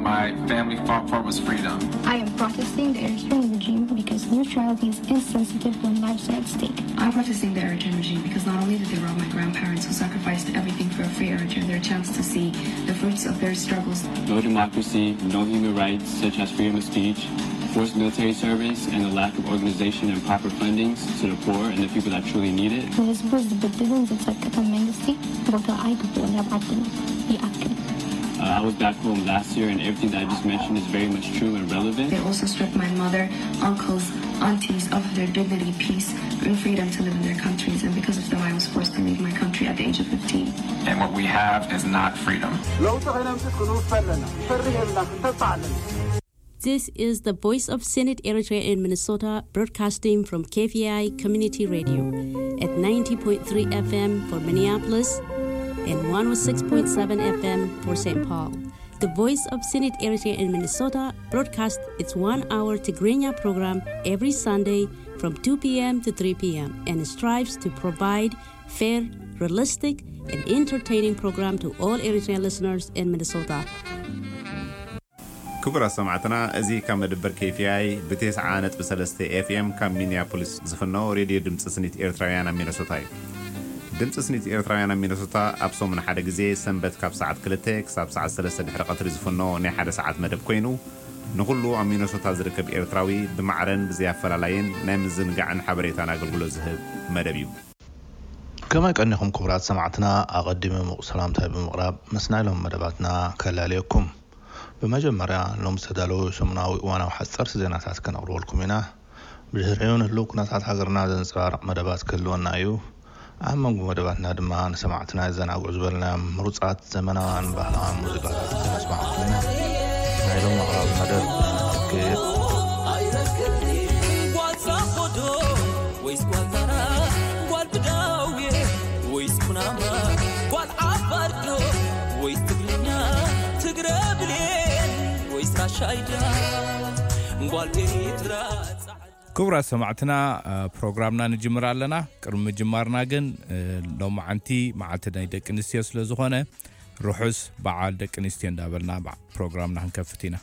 My family fought for was freedom. I am protesting the Eritrean regime because neutrality is insensitive when lives are at stake. I'm protesting the Eritrean regime because not only did they rob my grandparents who sacrificed everything for a free Eritrea their chance to see the fruits of their struggles, No democracy, no human rights such as freedom of speech, forced military service, and a lack of organization and proper fundings to the poor and the people that truly need it. ንህዝቡ ዝብድልን ዝጸቅጥን መንግስቲ ቦታ ኣይግብኦን ኣብ ዓድና ይኣክል። Uh, I was back home last year, and everything that I just mentioned is very much true and relevant. They also stripped my mother, uncles, aunties of their dignity, peace, and freedom to live in their countries. And because of them, I was forced to leave my country at the age of fifteen. And what we have is not freedom. ለውጢ ከነምፅእ ክንውፈ ኣለና። ክንፈርህ የብልና፣ ክንተስፋ ኣለና። This is the Voice of Senate Eritrea in Minnesota, broadcasting from K V I Community Radio at ninety point three F M for Minneapolis and one oh six point seven F M for Saint Paul. The Voice of Senate Eritrea in Minnesota broadcasts its one-hour Tigrinya program every Sunday from two p.m. to three p.m. and strives to provide fair, realistic, and entertaining program to all Eritrean listeners in Minnesota. ክቡራት ሰማዕትና፣ እዚ ካብ መደበር K V I ብ ተስዓ ነጥቢ ሰለስተ F M ካብ ሚኒያፖሊስ ዝፍኖ ሬድዮ ድምፂ ስኒት ኤርትራውያን ኣብ ሚነሶታ እዩ። ድምፂ ስኒት ኤርትራውያን ኣብ ሚነሶታ ኣብ ሰሙን ሓደ ግዜ ሰንበት ካብ ሰዓት ክልተ ክሳብ ሰዓት ሰለስተ ድሕሪ ቀትሪ ዝፍኖ ናይ ሓደ ሰዓት መደብ ኮይኑ፣ ንኹሉ ኣብ ሚነሶታ ዝርከብ ኤርትራዊ ብማዕረን ብዘይ ኣፈላላይን ናይ ምዝንጋዕን ሓበሬታን ኣገልግሎት ዝህብ መደብ እዩ። ከመይ ቀኒኹም ክቡራት ሰማዕትና፣ ኣቐዲመ ምቑ ሰላምታይ ብምቕራብ ምስናይ ሎም መደባትና ከላልየኩም። ብመጀመርያ ሎም ዝተዳለዉ ሰሙናዊ እዋናዊ ሓጸርቲ ዜናታት ከነቕርበልኩም ኢና። ብድሕሪኡ ንህልው ኩነታት ሃገርና ዘንጸባርቕ መደባት ክህልወና እዩ። ኣብ መንጎ መደባትና ድማ ንሰማዕትና የዘናግዑ ዝበልናዮም ምሩጻት ዘመናውያን ባህላውያን ሙዚቃታት ክነስማዕኩም ኢና። ናይ ሎም ኣቕራቢ መደብ ኣርክብ። ጓል ሳሆዶ ወይስ ጓል ታራ፣ ጓል ብዳውየ ወይስ ኩናማ፣ ጓል ዓፋርዶ ወይስ ትግርኛ፣ ትግረ ብሌን ወይስ ራሻይዳ፣ ጓል ኤሪትራ ጻዕዳ። ክቡራት ሰማዕትና፣ ፕሮግራምና ንጅምር ኣለና። ቅድሚ ምጅማርና ግን፣ ሎማዓንቲ መዓልቲ ናይ ደቂ ኣንስትዮ ስለ ዝኾነ፣ ርሑስ በዓል ደቂ ኣንስትዮ እንዳበልና ፕሮግራምና ክንከፍት ኢና።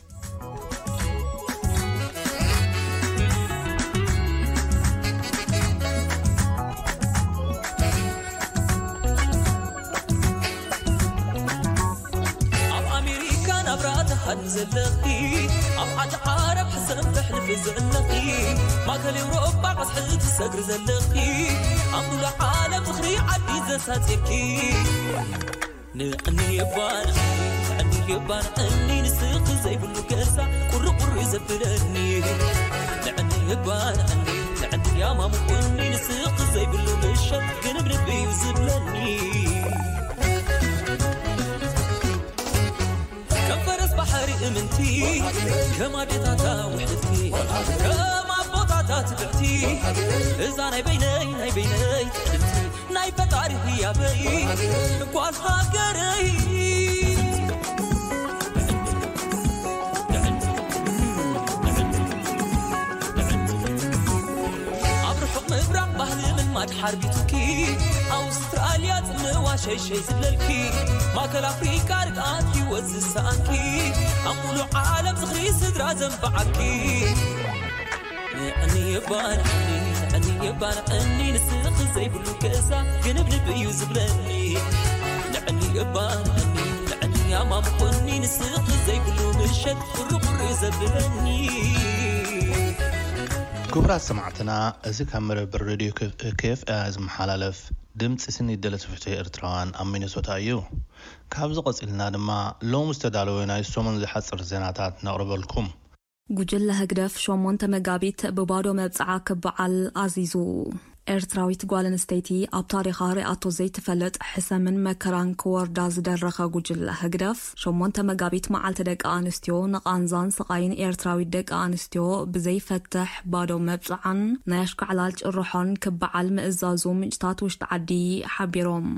ኣብ ኣሜሪካ ናብራ ትሃኒ ዘለኺ፣ ኣብ ዓዲ ዓረብ ሕሰም ተሕልፊ ዘለኺ፣ ማእከል ኤውሮጳ ቀስሒ ትሰግሪ ዘለኺ፣ ኣብ ሙሉእ ዓለም ዝኽሪ ዓዲ ዘሳጺርኪ። ንዕኒ እባ ንዕኒ፣ ንዕኒ እባ ንዕኒ፣ ንስኺ ዘይብሉ ገዛ ቁሪ ቁሪ ዘብለኒ። ንዕኒ እባ ንዕኒ፣ ንዕኒ ያማሙቁኒ፣ ንስኺ ዘይብሉ ምሸት ግንብንብ እዩ ዝብለኒ። ከም ፈረስ ባሕሪ እምንቲ፣ ከም ኣዴታታ ውሕልቲ፣ ከም ኣቦታታ ትብዕቲ፣ እዛ ናይ በይነይ፣ ናይ በይነይ ትዕድልቲ፣ ናይ ፈጣሪ ህያበይ ጓል ሃገረይ። ኣብ ርሑቕ ምብራቕ ባህሊ ምልማድ ሓርቢቱኪ፣ ኣውስትራልያ ጽምዋ ሸይሸይ ዝብለልኪ፣ ማእከል ኣፍሪቃ ርግኣት ህይወት ዝሰኣንኪ፣ ኣብ ሙሉእ ዓለም ዝኽሪ ስድራ ዘንበዓኪ። ንዕኒ እባ ንዕኒ፣ ንዕኒ እባ ንዕኒ፣ ንስኺ ዘይብሉ ገዛ ግንብንብ እዩ ዝብለኒ። ንዕኒ እባ ንዕኒ፣ ንዕኒ ኣማሙቑኒ፣ ንስኺ ዘይብሉ ምሸት ቁሪ ቁሪ ዘብለኒ። ክቡራት ሰማዕትና፣ እዚ ካብ መደበር ሬድዮ K F I ዝመሓላለፍ ድምፂ ስኒ ደለቲ ፍትሒ ኤርትራውያን ኣብ ሚነሶታ እዩ። ካብዚ ቀፂልና ድማ ሎሚ ዝተዳለወ ናይ ሰሙን ዝሓፅር ዜናታት ነቕርበልኩም። ጉጅለ ህግደፍ ሸሞንተ መጋቢት ብባዶ መብጽዓ ክበዓል ኣዚዙ። ኤርትራዊት ጓል ኣንስተይቲ ኣብ ታሪኻ ሪኣቶ ዘይትፈልጥ ሕሰምን መከራን ክወርዳ ዝደረኸ ጉጅለ ህግደፍ ሸሞንተ መጋቢት መዓልቲ ደቂ ኣንስትዮ ንቓንዛን ስቓይን ኤርትራዊት ደቂ ኣንስትዮ ብዘይፈትሕ ባዶ መብጽዓን ናይ ኣሽካዕላል ጭርሖን ክበዓል ምእዛዙ ምንጭታት ውሽጢ ዓዲ ሓቢሮም።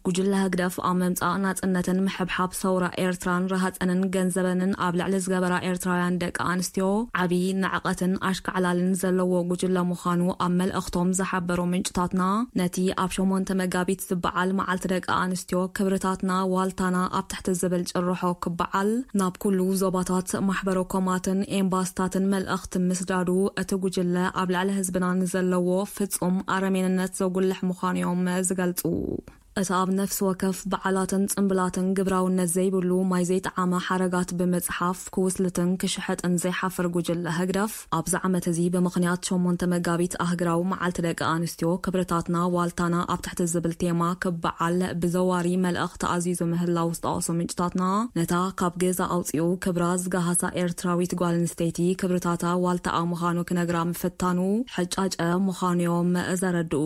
ጉጅለ ህግደፍ ኣብ ምምጻእ ናጽነትን ምሕብሓብ ሰውራ ኤርትራን ረሃጸንን ገንዘበንን ኣብ ልዕሊ ዝገበራ ኤርትራውያን ደቂ ኣንስትዮ ዓቢ ንዕቐትን ኣሽካዕላልን ዘለዎ ጉጅለ ምዃኑ ኣብ መልእኽቶም ዝሓበሩ ምንጭታትና፣ ነቲ ኣብ ሸሞንተ መጋቢት ዝበዓል መዓልቲ ደቂ ኣንስትዮ ክብርታትና ዋልታና ኣብ ትሕቲ ዝብል ጭርሖ ክበዓል ናብ ኩሉ ዞባታት ማሕበረ ኮማትን ኤምባስታትን መልእኽቲ ምስዳዱ፣ እቲ ጉጅለ ኣብ ልዕሊ ህዝብና ንዘለዎ ፍጹም ኣረሜንነት ዘጉልሕ ምዃኑ እዮም ዝገልጹ። እቲ ኣብ ነፍሲ ወከፍ በዓላትን ጽምብላትን ግብራውነት ዘይብሉ ማይ ዘይጠዓመ ሓረጋት ብምጽሓፍ ክውስልትን ክሽሕጥን ዘይሓፍር ጉጅለ ህግደፍ፣ ኣብዚ ዓመት እዚ ብምኽንያት ሸሞንተ መጋቢት ኣህግራዊ መዓልቲ ደቂ ኣንስትዮ ክብርታትና ዋልታና ኣብ ትሕቲ ዝብል ቴማ ክበዓል ብዘዋሪ መልእኽቲ ኣዚዙ ምህላው ዝጠቐሱ ምንጭታትና፣ ነታ ካብ ገዛ ኣውጺኡ ክብራ ዝገሃሳ ኤርትራዊት ጓል ኣንስተይቲ ክብርታታ ዋልታኣ ምዃኑ ክነግራ ምፍታኑ ሕጫጨ ምዃኑ እዮም ዘረድኡ።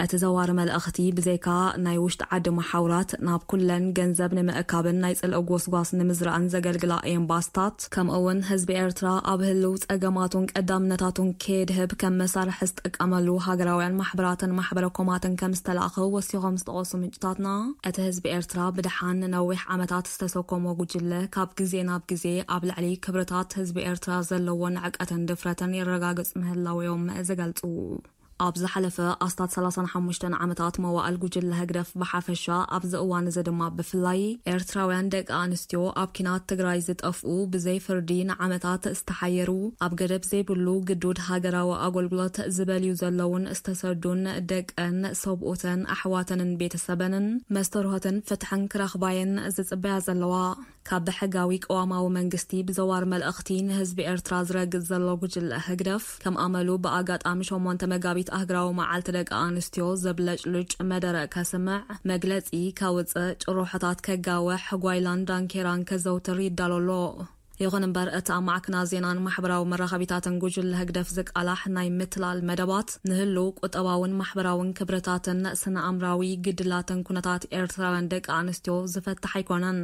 እቲ ዘዋሪ መልእኽቲ ብዘይካ ናይ ውሽጢ ዓዲ መሓውራት ናብ ኩለን ገንዘብ ንምእካብን ናይ ጽልኢ ጎስጓስ ንምዝራእን ዘገልግላ ኤምባስታት፣ ከምኡ እውን ህዝቢ ኤርትራ ኣብ ህልው ጸገማቱን ቀዳምነታቱን ከየድህብ ከም መሳርሒ ዝጥቀመሉ ሃገራውያን ማሕበራትን ማሕበረ ኮማትን ከም ዝተላእኸ ወሲኾም ዝጠቐሱ ምንጭታትና፣ እቲ ህዝቢ ኤርትራ ብደሓን ንነዊሕ ዓመታት ዝተሰከሞ ጉጅለ ካብ ግዜ ናብ ግዜ ኣብ ልዕሊ ክብርታት ህዝቢ ኤርትራ ዘለዎ ንዕቀትን ድፍረትን የረጋግጽ ምህላው እዮም ዝገልጹ። ኣብ ዝሓለፈ ኣስታት ሰላሳን ሓሙሽተን ዓመታት መዋእል ጉጅለ ህግደፍ ብሓፈሻ፣ ኣብዚ እዋን እዚ ድማ ብፍላይ ኤርትራውያን ደቂ ኣንስትዮ ኣብ ኪናት ትግራይ ዝጠፍኡ፣ ብዘይ ፍርዲ ንዓመታት ዝተሓየሩ፣ ኣብ ገደብ ዘይብሉ ግዱድ ሃገራዊ ኣገልግሎት ዝበልዩ ዘለውን ዝተሰዱን ደቀን፣ ሰብኡተን፣ ኣሕዋተንን ቤተሰበንን መስተርሆትን ፍትሕን ክረኽባየን ዝጽበያ ዘለዋ፣ ካብ ብሕጋዊ ቅዋማዊ መንግስቲ ብዘዋር መልእኽቲ ንህዝቢ ኤርትራ ዝረግጽ ዘሎ ጉጅለ ህግደፍ፣ ከም ኣመሉ ብኣጋጣሚ ሸሞንተ መጋቢት ኣህግራዊ መዓልቲ ደቂ ኣንስትዮ ዘብለጭልጭ መደረ ከስምዕ፣ መግለጺ ከውጽእ፣ ጭርሖታት ከጋውሕ፣ ጓይላን ዳንኬራን ከዘውትር ይዳሎ ኣሎ። ይኹን እምበር፣ እቲ ኣብ ማዕከናት ዜናን ማሕበራዊ መራኸቢታትን ጉጅለ ህግደፍ ዝቃላሕ ናይ ምትላል መደባት፣ ንህልው ቁጠባውን ማሕበራውን ክብርታትን ስነ ኣምራዊ ግድላትን ኩነታት ኤርትራውያን ደቂ ኣንስትዮ ዝፈትሕ ኣይኮነን።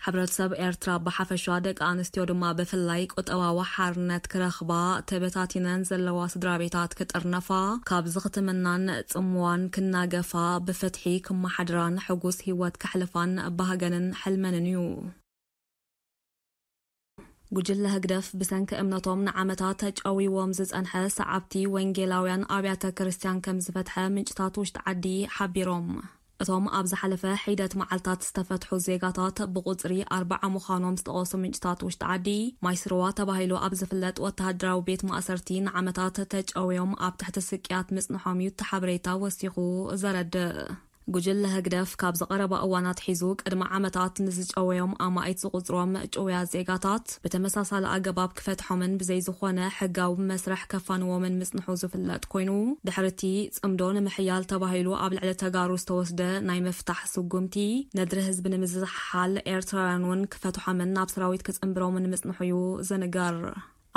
ሕብረተሰብ ኤርትራ ብሓፈሻ፣ ደቂ ኣንስትዮ ድማ ብፍላይ፣ ቁጠባዊ ሓርነት ክረኽባ፣ ተበታቲነን ዘለዋ ስድራ ቤታት ክጥርነፋ፣ ካብ ዝኽትምናን ጽምዋን ክናገፋ፣ ብፍትሒ ክመሓድራን ሕጉስ ህይወት ከሕልፋን ባህገንን ሕልመንን እዩ። ጉጅለ ህግደፍ ብሰንኪ እምነቶም ንዓመታት ተጨውይዎም ዝጸንሐ ሰዓብቲ ወንጌላውያን ኣብያተ ክርስቲያን ከም ዝፈትሐ ምንጭታት ውሽጢ ዓዲ ሓቢሮም። እቶም ኣብ ዝሓለፈ ሒደት መዓልታት ዝተፈትሑ ዜጋታት ብቁጽሪ ኣርባዓ ምዃኖም ዝጠቐሱ ምንጭታት ውሽጢ ዓዲ፣ ማይስርዋ ተባሂሉ ኣብ ዝፍለጥ ወተሃደራዊ ቤት ማእሰርቲ ንዓመታት ተጨውዮም ኣብ ትሕቲ ስቅያት ምጽንሖም እዩ እቲ ሓበሬታ ወሲኹ ዘረድእ። ጉጅለ ህግደፍ ካብ ዝቐረባ እዋን ኣትሒዙ ቅድሚ ዓመታት ንዝጨወዮም ኣማኢት ዝቑጽሮም ጭውያ ዜጋታት ብተመሳሳሊ ኣገባብ ክፈትሖምን ብዘይ ዝኾነ ሕጋዊ መስርሕ ከፋንዎምን ምጽንሑ ዝፍለጥ ኮይኑ፣ ድሕሪ እቲ ጽምዶ ንምሕያል ተባሂሉ ኣብ ልዕሊ ተጋሩ ዝተወስደ ናይ ምፍታሕ ስጉምቲ፣ ነድሪ ህዝቢ ንምዝሓል ኤርትራውያን እውን ክፈትሖምን ናብ ሰራዊት ክጽንብሮምን ምጽንሑ እዩ ዝንገር።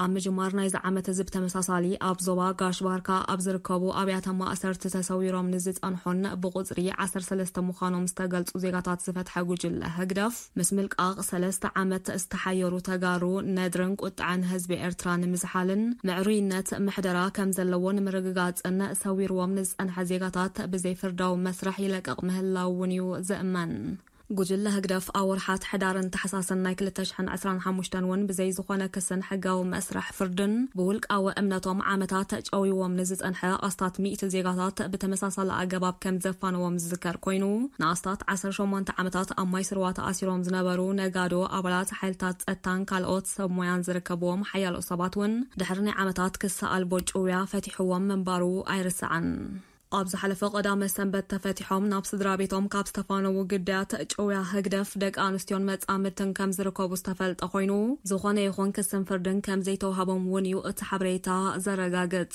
ኣብ ምጅማር ናይዚ ዓመት እዚ ብተመሳሳሊ ኣብ ዞባ ጋሽ ባርካ ኣብ ዝርከቡ ኣብያተ ማእሰርቲ ተሰዊሮም ንዝጸንሑን ብቁጽሪ ዓሰርተ ሰለስተ ምዃኖም ዝተገልጹ ዜጋታት ዝፈትሐ ጉጅለ ህግደፍ፣ ምስ ምልቃቕ ሰለስተ ዓመት ዝተሓየሩ ተጋሩ ነድርን ቁጥዐን ህዝቢ ኤርትራ ንምዝሓልን ምዕሩይነት ምሕደራ ከም ዘለዎ ንምርግጋጽን ሰዊርዎም ንዝጸንሐ ዜጋታት ብዘይ ፍርዳዊ መስርሕ ይለቅቕ ምህላው እውን እዩ ዝእመን። ጉጅለ ህግደፍ ኣብ ወርሓት ሕዳርን ታሕሳስን ናይ ክልተ ሽሕን ዕስራን ሓሙሽተን እውን ብዘይ ዝኾነ ክስን ሕጋዊ መስርሕ ፍርድን ብውልቃዊ እምነቶም ዓመታት ጨውይዎም ንዝጸንሐ ኣስታት ሚእቲ ዜጋታት ብተመሳሳሊ ኣገባብ ከም ዘፋንዎም ዝዝከር ኮይኑ፣ ንኣስታት ዓሰርተ ሸሞንተ ዓመታት ኣብ ማይ ስርዋ ተኣሲሮም ዝነበሩ ነጋዶ፣ ኣባላት ሓይልታት ጸጥታን ካልኦት ሰብ ሞያን ዝርከብዎም ሓያሎ ሰባት እውን ድሕሪ ናይ ዓመታት ክሲ ኣልቦ ጭውያ ፈቲሕዎም ምንባሩ ኣይርሳዕን። ኣብ ዝሓለፈ ቀዳመ ሰንበት ተፈቲሖም ናብ ስድራ ቤቶም ካብ ዝተፋነዉ ግዳያት ጭውያ ህግደፍ ደቂ ኣንስትዮን መጻምድትን ከም ዝርከቡ ዝተፈልጠ ኮይኑ፣ ዝኾነ ይኹን ክስን ፍርድን ከም ዘይተዋህቦም እውን እዩ እቲ ሓበሬታ ዘረጋግጽ።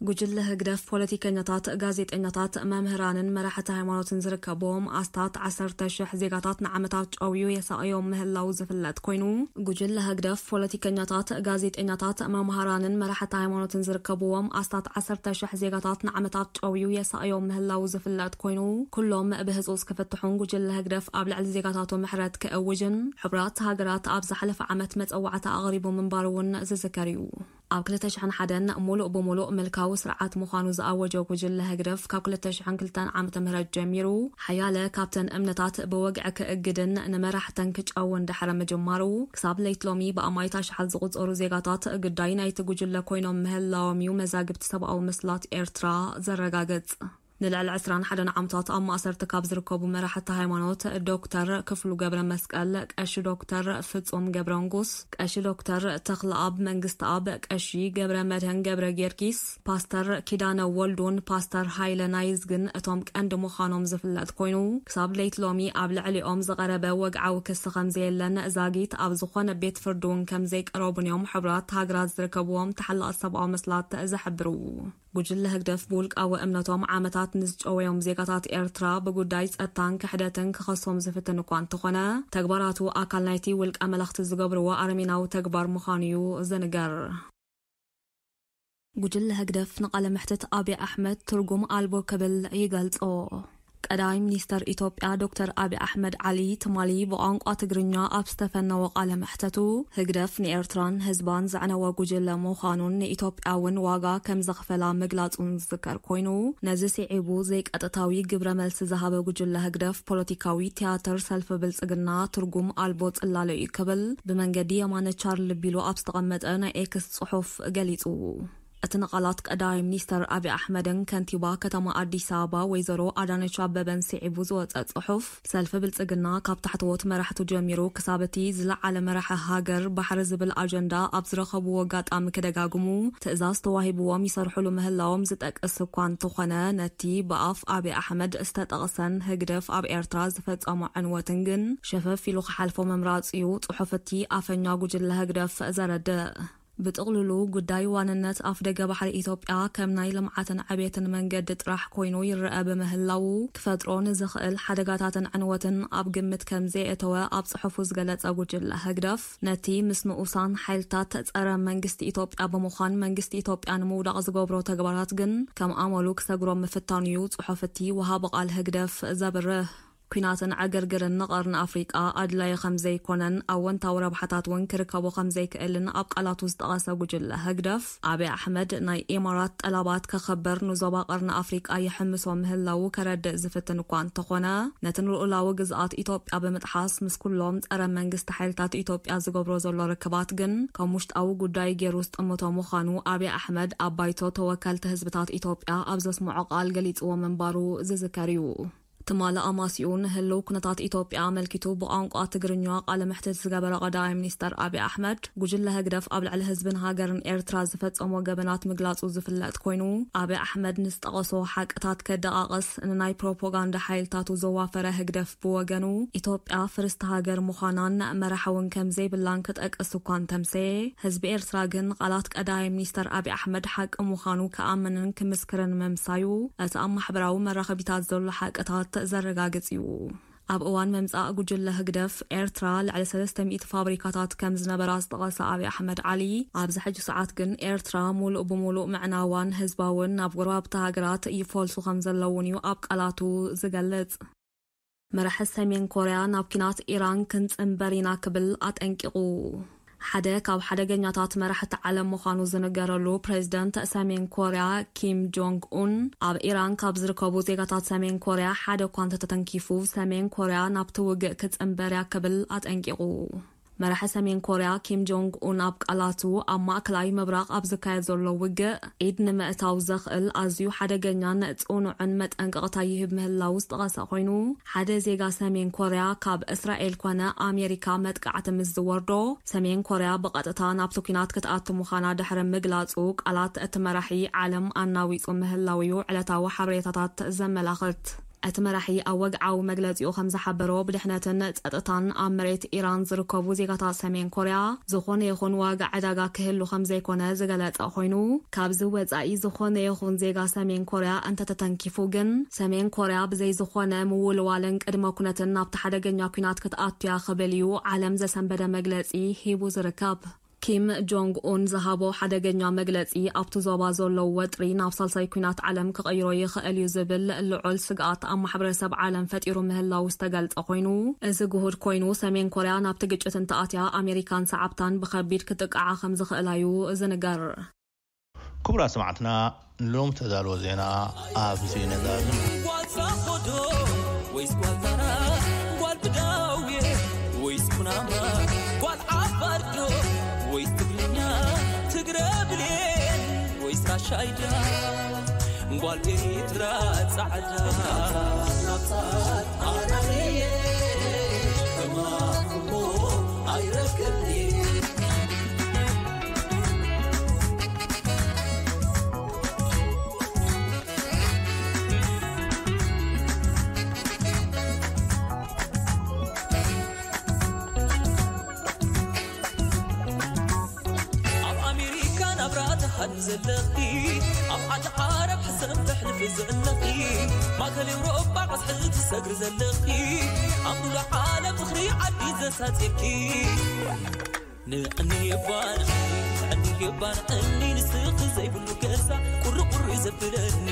ጉጅለ ህግደፍ ፖለቲከኛታት፣ ጋዜጠኛታት፣ መምህራንን መራሕቲ ሃይማኖትን ዝርከብዎም ኣስታት ዓሰርተ ሽሕ ዜጋታት ንዓመታት ጨውዩ የሳቕዮም ምህላው ዝፍለጥ ኮይኑ፣ ጉጅለ ህግደፍ ፖለቲከኛታት፣ ጋዜጠኛታት፣ መምሃራንን መራሕቲ ሃይማኖትን ዝርከብዎም ኣስታት ዓሰርተ ሽሕ ዜጋታት ንዓመታት ጨውዩ የሳቕዮም ምህላው ዝፍለጥ ኮይኑ፣ ኩሎም ብህጹጽ ክፍትሑን ጉጅለ ህግደፍ ኣብ ልዕሊ ዜጋታቱ ምሕረት ክእውጅን ሕቡራት ሃገራት ኣብ ዝሓለፈ ዓመት መጸዋዕታ ኣቕሪቡ ምንባሩ እውን ዝዝከር እዩ። ኣብ ክልተ ሽሕን ሓደን ሙሉእ ብሙሉእ ምልካዊ ስርዓት ምዃኑ ዝኣወጀ ጉጅለ ህግደፍ፣ ካብ ክልተ ሽሕን ክልተን ዓመተ ምህረት ጀሚሩ ሓያለ ካብተን እምነታት ብወግዒ ክእግድን ንመራሕተን ክጨውን ድሕሪ ምጅማሩ፣ ክሳብ ለይት ሎሚ ብኣማኢት ኣሽሓት ዝቑጸሩ ዜጋታት ግዳይ ናይቲ ጉጅለ ኮይኖም ምህላዎም እዩ መዛግብቲ ሰብኣዊ መስላት ኤርትራ ዘረጋግጽ። ንልዕሊ ዕስራን ሓደን ዓመታት ኣብ ማእሰርቲ ካብ ዝርከቡ መራሕቲ ሃይማኖት፣ ዶክተር ክፍሉ ገብረ መስቀል፣ ቀሺ ዶክተር ፍጹም ገብረ ንጉስ፣ ቀሺ ዶክተር ተኽለኣብ መንግስተኣብ፣ ቀሺ ገብረ መድህን ገብረ ጊዮርጊስ፣ ፓስተር ኪዳነ ወልዱን ፓስተር ሃይለ ናይዝ ግን እቶም ቀንዲ ምዃኖም ዝፍለጥ ኮይኑ፣ ክሳብ ለይት ሎሚ ኣብ ልዕሊኦም ዝቐረበ ወግዓዊ ክሲ ከም ዘየለን ዛጊት ኣብ ዝኾነ ቤት ፍርዲ እውን ከም ዘይቀረቡን እዮም ሕቡራት ሃገራት ዝርከብዎም ተሓላቒ ሰብኣዊ መስላት ዝሕብሩ። ጉጅለ ህግደፍ ብውልቃዊ እምነቶም ዓመታት ንዝጨወዮም ዜጋታት ኤርትራ ብጉዳይ ጸጥታን ክሕደትን ክኸሶም ዝፍትን እኳ እንተኾነ፣ ተግባራቱ ኣካል ናይቲ ውልቀ መለኽቲ ዝገብርዎ ኣረሜናዊ ተግባር ምዃኑ እዩ ዝንገር። ጉጅለ ህግደፍ ንቃለ መሕትት ኣብይ ኣሕመድ ትርጉም ኣልቦ ክብል ይገልጾ። ቀዳማይ ሚኒስተር ኢትዮጵያ ዶክተር ኣብይ ኣሕመድ ዓሊ ትማሊ ብቋንቋ ትግርኛ ኣብ ዝተፈነወ ቃለ መሕተቱ፣ ህግደፍ ንኤርትራን ህዝባን ዘዕነወ ጉጅለ ምዃኑን ንኢትዮጵያ እውን ዋጋ ከም ዘኽፈላ ምግላጹን ዝዝከር ኮይኑ፣ ነዚ ስዒቡ ዘይቀጥታዊ ግብረ መልሲ ዝሃበ ጉጅለ ህግደፍ ፖለቲካዊ ትያትር ሰልፊ ብልጽግና ትርጉም ኣልቦ ጽላሎ እዩ ክብል ብመንገዲ የማነ ቻርል ቢሉ ኣብ ዝተቐመጠ ናይ ኤክስ ጽሑፍ ገሊጹ። እቲ ንቓላት ቀዳማይ ሚኒስተር ኣብይ ኣሕመድን ከንቲባ ከተማ ኣዲስ ኣበባ ወይዘሮ ኣዳነች ኣበበን ስዒቡ ዝወጸ ጽሑፍ፣ ሰልፊ ብልጽግና ካብ ታሕተዎት መራሕቱ ጀሚሩ ክሳብ እቲ ዝለዓለ መራሒ ሃገር ባሕሪ ዝብል ኣጀንዳ ኣብ ዝረኸብዎ ኣጋጣሚ ክደጋግሙ ትእዛዝ ተዋሂብዎም ይሰርሕሉ ምህላዎም ዝጠቅስ እኳ እንተኾነ፣ ነቲ ብኣፍ ኣብይ ኣሕመድ ዝተጠቕሰን ህግደፍ ኣብ ኤርትራ ዝፈጸሞ ዕንወትን ግን ሸፈፍ ኢሉ ክሓልፎ ምምራጹ እዩ ጽሑፍ እቲ ኣፈኛ ጉጅለ ህግደፍ ዘረድእ። ብጥቕልሉ ጉዳይ ዋንነት ኣፍደገ ባሕሪ ኢትዮጵያ ከም ናይ ልምዓትን ዕቤትን መንገዲ ጥራሕ ኮይኑ ይረኣ ብምህላዉ፣ ክፈጥሮ ንዝኽእል ሓደጋታትን ዕንወትን ኣብ ግምት ከም ዘየእተወ ኣብ ጽሑፉ ዝገለጸ ጉጅለ ህግደፍ፣ ነቲ ምስ ንኡሳን ሓይልታት ጸረ መንግስቲ ኢትዮጵያ ብምዃን መንግስቲ ኢትዮጵያ ንምውዳቕ ዝገብሮ ተግባራት ግን ከም ኣመሉ ክሰግሮ ምፍታኑ እዩ ጽሑፍ እቲ ወሃቢ ቃል ህግደፍ ዘብርህ። ኲናትን ዕግርግርን ንቐርኒ ኣፍሪቃ ኣድላዪ ከም ዘይኮነን ኣወንታዊ ረብሓታት እውን ክርከቦ ከም ዘይክእልን ኣብ ቃላቱ ዝጠቐሰ ጉጅለ ህግደፍ፣ ኣብይ ኣሕመድ ናይ ኢማራት ጠላባት ከኸብር ንዞባ ቀርኒ ኣፍሪቃ ይሕምሶ ምህላዉ ከረድእ ዝፍትን እኳ እንተኾነ፣ ነቲ ንልኡላዊ ግዝኣት ኢትዮጵያ ብምጥሓስ ምስ ኩሎም ጸረ መንግስቲ ሓይልታት ኢትዮጵያ ዝገብሮ ዘሎ ርክባት ግን ከም ውሽጣዊ ጉዳይ ገይሩ ዝጥምቶ ምዃኑ ኣብይ ኣሕመድ ኣብ ባይቶ ተወከልቲ ህዝብታት ኢትዮጵያ ኣብ ዘስምዖ ቃል ገሊጽዎ ምንባሩ ዝዝከር እዩ። ትማሊ ኣማሲኡ ንህልው ኩነታት ኢትዮጵያ ኣመልኪቱ ብቋንቋ ትግርኛ ቃለ መሕትት ዝገበረ ቀዳማይ ሚኒስተር ኣብይ ኣሕመድ፣ ጉጅለ ህግደፍ ኣብ ልዕሊ ህዝብን ሃገርን ኤርትራ ዝፈጸሞ ገበናት ምግላጹ ዝፍለጥ ኮይኑ፣ ኣብይ ኣሕመድ ንዝጠቐሶ ሓቅታት ከደቓቕስ ንናይ ፕሮፓጋንዳ ሓይልታቱ ዘዋፈረ ህግደፍ ብወገኑ፣ ኢትዮጵያ ፍርስቲ ሃገር ምዃናን መራሒ እውን ከም ዘይብላን ክጠቅስ እኳ እንተምሰየ፣ ህዝቢ ኤርትራ ግን ቃላት ቀዳማይ ሚኒስተር ኣብይ ኣሕመድ ሓቂ ምዃኑ ክኣምንን ክምስክርን ምምሳዩ፣ እቲ ኣብ ማሕበራዊ መራኸቢታት ዘሎ ሓቅታት ዘረጋግጽ እዩ። ኣብ እዋን ምምጻእ ጉጅለ ህግደፍ፣ ኤርትራ ልዕሊ ሰለስተ ሚእቲ ፋብሪካታት ከም ዝነበራ ዝጠቐሰ ኣብይ ኣሕመድ ዓሊ፣ ኣብዚ ሕጂ ሰዓት ግን ኤርትራ ሙሉእ ብሙሉእ ምዕናዋን ህዝባውን ናብ ጎረባብቲ ሃገራት ይፈልሱ ከም ዘለውን እዩ ኣብ ቃላቱ ዝገልጽ። መራሒ ሰሜን ኮርያ ናብ ኲናት ኢራን ክንጽንበር ኢና ክብል ኣጠንቂቑ። ሓደ ካብ ሓደገኛታት መራሕቲ ዓለም ምዃኑ ዝንገረሉ ፕሬዝደንት ሰሜን ኮርያ ኪም ጆንግ ኡን፣ ኣብ ኢራን ካብ ዝርከቡ ዜጋታት ሰሜን ኮርያ ሓደ እኳ እንተተተንኪፉ፣ ሰሜን ኮርያ ናብቲ ውግእ ክጽንበር እያ ክብል ኣጠንቂቑ። መራሒ ሰሜን ኮርያ ኪም ጆንግ ኡን ኣብ ቃላቱ፣ ኣብ ማእከላይ ምብራቕ ኣብ ዝካየድ ዘሎ ውግእ ኢድ ንምእታው ዘኽእል ኣዝዩ ሓደገኛን ጽኑዕን መጠንቀቕታ ይህብ ምህላዉ ዝጠቐሰ ኮይኑ፣ ሓደ ዜጋ ሰሜን ኮርያ ካብ እስራኤል ኮነ ኣሜሪካ መጥቃዕቲ ምስ ዝወርዶ፣ ሰሜን ኮርያ ብቐጥታ ናብቲ ኲናት ክትኣቱ ምዃና ድሕሪ ምግላጹ፣ ቃላት እቲ መራሒ ዓለም ኣናዊጹ ምህላዉ እዩ ዕለታዊ ሓበሬታታት ዘመላኽት። እቲ መራሒ ኣብ ወግዓዊ መግለጺኡ ከም ዝሓበሮ፣ ብድሕነትን ጸጥታን ኣብ መሬት ኢራን ዝርከቡ ዜጋታት ሰሜን ኮርያ ዝኾነ ይኹን ዋጋ ዕዳጋ ክህሉ ከም ዘይኮነ ዝገለጸ ኮይኑ፣ ካብዚ ወጻኢ ዝኾነ ይኹን ዜጋ ሰሜን ኮርያ እንተተተንኪፉ ግን፣ ሰሜን ኮርያ ብዘይ ዝኾነ ምውልዋልን ቅድመ ኩነትን ናብቲ ሓደገኛ ኲናት ክትኣቱ እያ ክብል እዩ ዓለም ዘሰንበደ መግለጺ ሂቡ ዝርከብ። ኪም ጆንግ ኡን ዝሃቦ ሓደገኛ መግለጺ ኣብቲ ዞባ ዘሎ ወጥሪ ናብ ሳልሳይ ኲናት ዓለም ክቕይሮ ይኽእል እዩ ዝብል ልዑል ስግኣት ኣብ ማሕበረሰብ ዓለም ፈጢሩ ምህላዉ ዝተገልጸ ኮይኑ፣ እዚ ግሁድ ኮይኑ ሰሜን ኮርያ ናብቲ ግጭት እንተኣትያ ኣሜሪካን ሰዓብታን ብኸቢድ ክጥቅዓ ከም ዝኽእላ እዩ ዝንገር። ክቡራት ሰማዕትና፣ ንሎም ተዳልዎ ዜና ኣብዚ ነዳሉ። ጓል ሳኾዶ ወይስ ጓል ታራ? ጓል ብዳውየ ወይስ ኩናማ? ጓል ዓፋርዶ ወይስ ትግርኛ? ትግረ ብሌን ወይስ ራሻይዳ? ጓል ኤሪትራ ጻዕዳ። ኣብ ኣሜሪካ ናብራ ትሃድሚ ዘለኺ፣ ኣብ ዓዲ ዓረብ ሕሰም ተሕልፊ ዘለኺ፣ ማእከል ኤውሮጳ ቀዝሒ ትሰግሪ ዘለኺ፣ ኣብ ሙሉእ ዓለም ዝኽሪ ዓዲ ዘሳጺርኪ። ንዕኒ እባ ንዕኒ፣ ንዕኒ እባ ንዕኒ፣ ንስኺ ዘይብሉ ገዛ ቁሪ ቁሪ ዘብለኒ።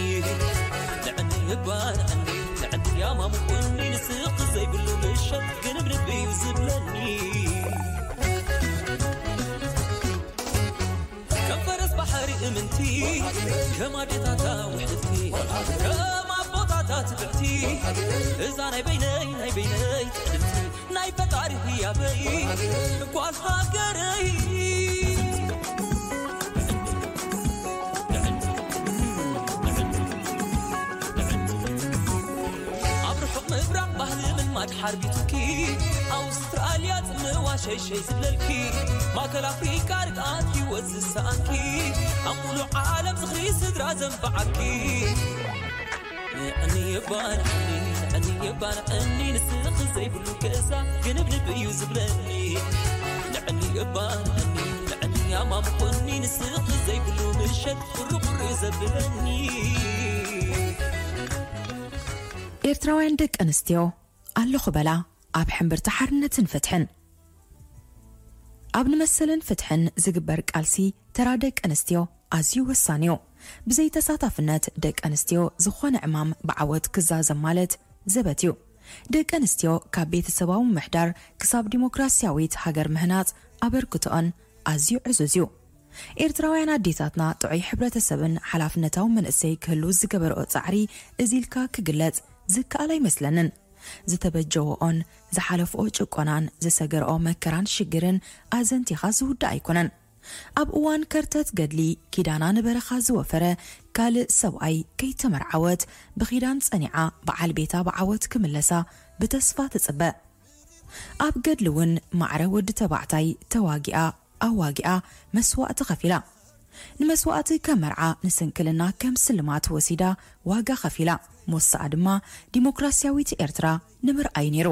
ንዕኒ እባ ንዕኒ፣ ንዕኒ ያማሙቁኒ፣ ንስኺ ዘይብሉ ምሸት ግንብንብ እዩ ዝብለኒ። ከም ፈረስ ባሕሪ እምንቲ፣ ከም ኣዴታታ ውሕልቲ፣ ከም ኣቦታታ ትብዕቲ፣ እዛ ናይ በይነይ፣ ናይ በይነይ ትዕድልቲ፣ ናይ ፈጣሪ ህያበይ ጓል ሃገረይ። ኣብ ርሑቕ ምብራቕ ባህሊ ምልማድ ሓርቢቱኪ፣ ኣውስትራልያ ጽምዋ ሸይሸይ ዝብለልኪ፣ ማእከል ኣፍሪቃ ርግኣት ህይወት ዝሰኣንኪ፣ ኣብ ሙሉእ ዓለም ዝኽሪ ስድራ ዘንበዓኪ። ንዕኒ እባ ንዕኒ፣ ንዕኒ እባ ንዕኒ፣ ንስኺ ዘይብሉ ገዛ ግንብንብ እዩ ዝብለኒ። ንዕኒ እባ ንዕኒ፣ ንዕኒ ኣማሙቁኒ፣ ንስኺ ዘይብሉ ምሸት ቁሪ ቁሪ ዘብለኒ። ኤርትራውያን ደቂ ኣንስትዮ ኣለኹ በላ ኣብ ሕምብርቲ ሓርነትን ፍትሕን። ኣብ ንመሰልን ፍትሕን ዝግበር ቃልሲ ተራ ደቂ ኣንስትዮ ኣዝዩ ወሳኒ እዩ። ብዘይ ተሳታፍነት ደቂ ኣንስትዮ ዝኾነ ዕማም ብዓወት ክዛዘም ማለት ዘበት እዩ። ደቂ ኣንስትዮ ካብ ቤተሰባዊ ምምሕዳር ክሳብ ዲሞክራስያዊት ሃገር ምህናጽ ኣበርክቶኦን ኣዝዩ ዕዙዝ እዩ። ኤርትራውያን ኣዴታትና ጥዑይ ሕብረተሰብን ሓላፍነታዊ መንእሰይ ክህሉ ዝገበርኦ ጻዕሪ እዚ ኢልካ ክግለጽ ዝከኣል ኣይመስለንን። ዝተበጀወኦን ዝሓለፍኦ ጭቆናን ዝሰገርኦ መከራን ሽግርን ኣዘንቲኻ ዝውዳእ ኣይኮነን። ኣብ እዋን ከርተት ገድሊ ኪዳና ንበረኻ ዝወፈረ ካልእ ሰብኣይ ከይተመርዓወት ብኺዳን ጸኒዓ በዓል ቤታ ብዓወት ክምለሳ ብተስፋ ትጽበ። ኣብ ገድሊ እውን ማዕረ ወዲ ተባዕታይ ተዋጊኣ ኣዋጊኣ መስዋእቲ ከፊላ። ንመስዋእቲ ከም መርዓ ንስንክልና ከም ስልማት ወሲዳ ዋጋ ከፊላ። ሞሳኣ ድማ ዲሞክራስያዊት ኤርትራ ንምርኣይ ነይሩ።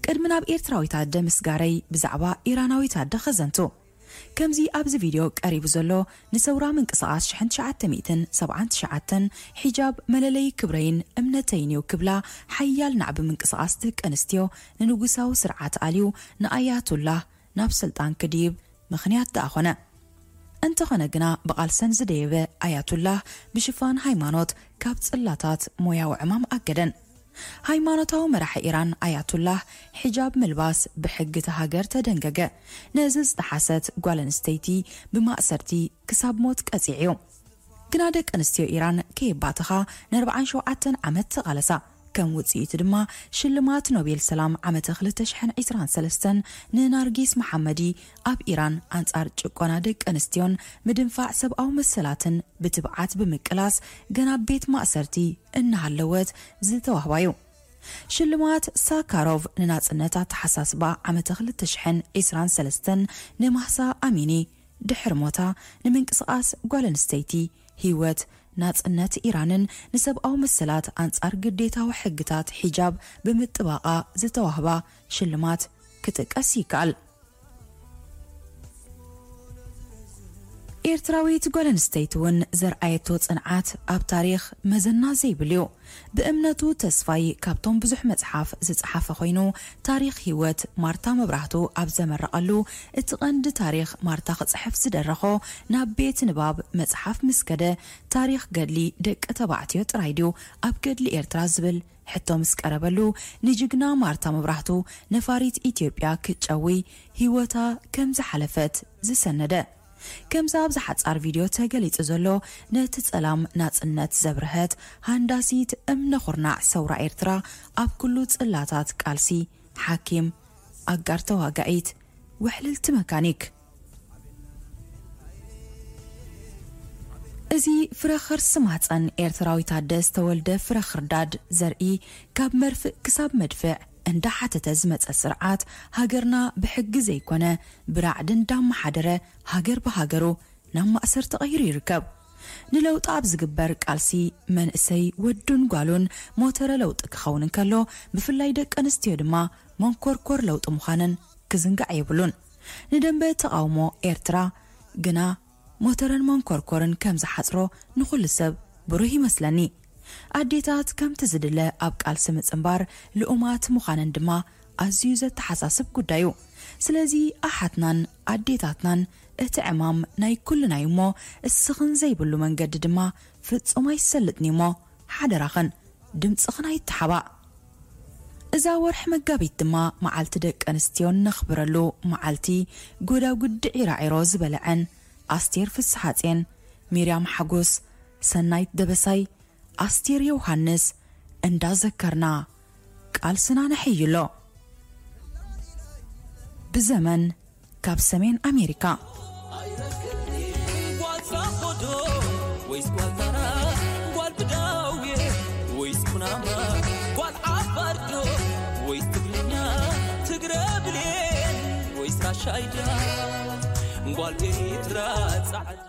ቅድሚ ናብ ኤርትራዊት ኣደ ምስጋረይ ብዛዕባ ኢራናዊት ኣደ ከዘንቱ። ከምዚ ኣብዚ ቪድዮ ቀሪቡ ዘሎ ንሰውራ ምንቅስቓስ ሽሕን ትሽዓተ ሚእትን ሰብዓን ትሽዓተን ሒጃብ መለለዪ ክብረይን እምነተይን እዩ ክብላ ሓያል ናዕቢ ምንቅስቓስ ደቂ ኣንስትዮ ንንጉሳዊ ስርዓት ኣልዩ ንኣያቱላህ ናብ ስልጣን ክድይብ ምኽንያት ደኣ ኾነ። እንተኾነ ግና ብቓልሰን ዝደየበ ኣያቱላህ ብሽፋን ሃይማኖት ካብ ጽላታት ሞያዊ ዕማም ኣገደን። ሃይማኖታዊ መራሒ ኢራን ኣያቱላህ ሒጃብ ምልባስ ብሕጊ እታ ሃገር ተደንገገ። ነዚ ዝጠሓሰት ጓል ኣንስተይቲ ብማእሰርቲ ክሳብ ሞት ቀጺዑ እዩ። ግና ደቂ ኣንስትዮ ኢራን ከየባተኻ ንኣርብዓን ሸውዓተን ዓመት ተቓለሳ። ከም ውጽኢቱ ድማ ሽልማት ኖቤል ሰላም ዓመተ ክልተ ሽሕን ዕስራን ሰለስተን ንናርጊስ መሓመዲ ኣብ ኢራን ኣንጻር ጭቆና ደቂ ኣንስትዮን ምድንፋዕ ሰብኣዊ መሰላትን ብትብዓት ብምቅላስ ገና ኣብ ቤት ማእሰርቲ እናሃለወት ዝተዋህባ እዩ። ሽልማት ሳካሮቭ ንናጽነት ኣተሓሳስባ ዓመተ ክልተ ሽሕን ዕስራን ሰለስተን ንማህሳ ኣሚኒ ድሕሪ ሞታ ንምንቅስቓስ ጓል ኣንስተይቲ ህይወት ናጽነት ኢራንን ንሰብኣዊ መሰላት ኣንጻር ግዴታዊ ሕግታት ሒጃብ ብምጥባቓ ዝተዋህባ ሽልማት ክጥቀስ ይከኣል። ኤርትራዊት ጓል ኣንስተይቲ እውን ዘርኣየቶ ጽንዓት ኣብ ታሪኽ መዘና ዘይብሉ እዩ። ብእምነቱ ተስፋይ ካብቶም ብዙሕ መጽሓፍ ዝጸሓፈ ኮይኑ፣ ታሪኽ ህይወት ማርታ መብራህቱ ኣብ ዘመረቐሉ፣ እቲ ቀንዲ ታሪኽ ማርታ ክጽሕፍ ዝደረኾ ናብ ቤት ንባብ መጽሓፍ ምስ ከደ፣ ታሪኽ ገድሊ ደቂ ተባዕትዮ ጥራይ ድዩ ኣብ ገድሊ ኤርትራ ዝብል ሕቶ ምስ ቀረበሉ፣ ንጅግና ማርታ መብራህቱ ነፋሪት ኢትዮጵያ ክትጨዊ ህይወታ ከም ዝሓለፈት ዝሰነደ። ከምዚ ኣብዚ ሓጻር ቪድዮ ተገሊጹ ዘሎ፣ ነቲ ጸላም ናጽነት ዘብርሀት ሃንዳሲት እምነ ኩርናዕ ሰውራ ኤርትራ፣ ኣብ ኩሉ ጽላታት ቃልሲ፣ ሓኪም፣ ኣጋር ተዋጋኢት፣ ውሕልልቲ መካኒክ። እዚ ፍረ ከርሲ ማህጸን ኤርትራዊት ኣደ ዝተወልደ ፍረ ክርዳድ ዘርኢ፣ ካብ መርፍእ ክሳብ መድፍዕ እንዳሓተተ ዝመጸ ስርዓት፣ ሃገርና ብሕጊ ዘይኮነ ብራዕዲ እንዳመሓደረ፣ ሃገር ብሃገሩ ናብ ማእሰር ተቐይሩ ይርከብ። ንለውጢ ኣብ ዝግበር ቃልሲ፣ መንእሰይ ወዱን ጓሉን ሞተረ ለውጢ ክኸውን እንከሎ፣ ብፍላይ ደቂ ኣንስትዮ ድማ መንኮርኮር ለውጢ ምዃነን ክዝንጋዕ የብሉን። ንደንበ ተቓውሞ ኤርትራ ግና ሞተረን መንኮርኮርን ከም ዝሓጽሮ ንኹሉ ሰብ ብሩህ ይመስለኒ። ኣዴታት ከምቲ ዝድለ ኣብ ቃልሲ ምጽንባር ልኡማት ምዃነን ድማ ኣዝዩ ዘተሓሳስብ ጉዳይ እዩ። ስለዚ ኣሓትናን ኣዴታትናን እቲ ዕማም ናይ ኩልና እዩ እሞ፣ እስኽን ዘይብሉ መንገዲ ድማ ፍጹም ኣይሰልጥን እዩ እሞ፣ ሓደራኽን ድምጽኽን ኣይተሓባእ። እዛ ወርሒ መጋቢት ድማ መዓልቲ ደቂ ኣንስትዮ እነኽብረሉ መዓልቲ፣ ጎዳጉዲ ዒራዒሮ ዝበልዐን ኣስቴር ፍስሓጼን፣ ሚርያም ሓጎስ፣ ሰናይት ደበሳይ፣ ኣስቴር ዮሃንስ እንዳዘከርና ቃልስና ነሐይሎ። ብዘመን ካብ ሰሜን ኣሜሪካ። ጓል ዛኾዶ ወይስ ጓል ታራ? ጓል ብዳውየ ወይስ ኩናማ? ጓል ዓፋርዶ ወይስ ትግርኛ? ትግረ ብሌን ወይስ ራሻይዳ? ጓል ኤርትራ ጻዕዳ።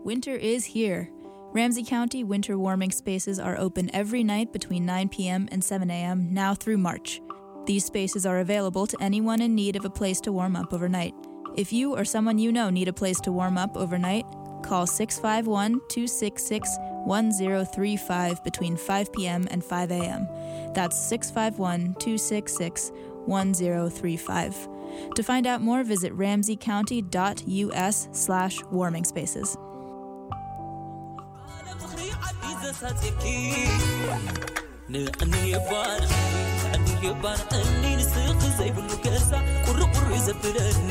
Winter is here. Ramsey County winter warming spaces are open every night between nine p.m. and seven a.m. now through March. These spaces are available to anyone in need of a place to warm up overnight. If you or someone you know need a place to warm up overnight, call six five one, two six six, one zero three five between five p.m. and five a.m. That's six five one, two six six, one zero three five. To find out more, visit ramseycounty.us/warmingspaces. ንዕኒ የባን፣ ንዕኒ የባን፣ እኒ ንስኽ ዘይብሉ ገዛ ቁሪ ቁሪ ዘብለኒ።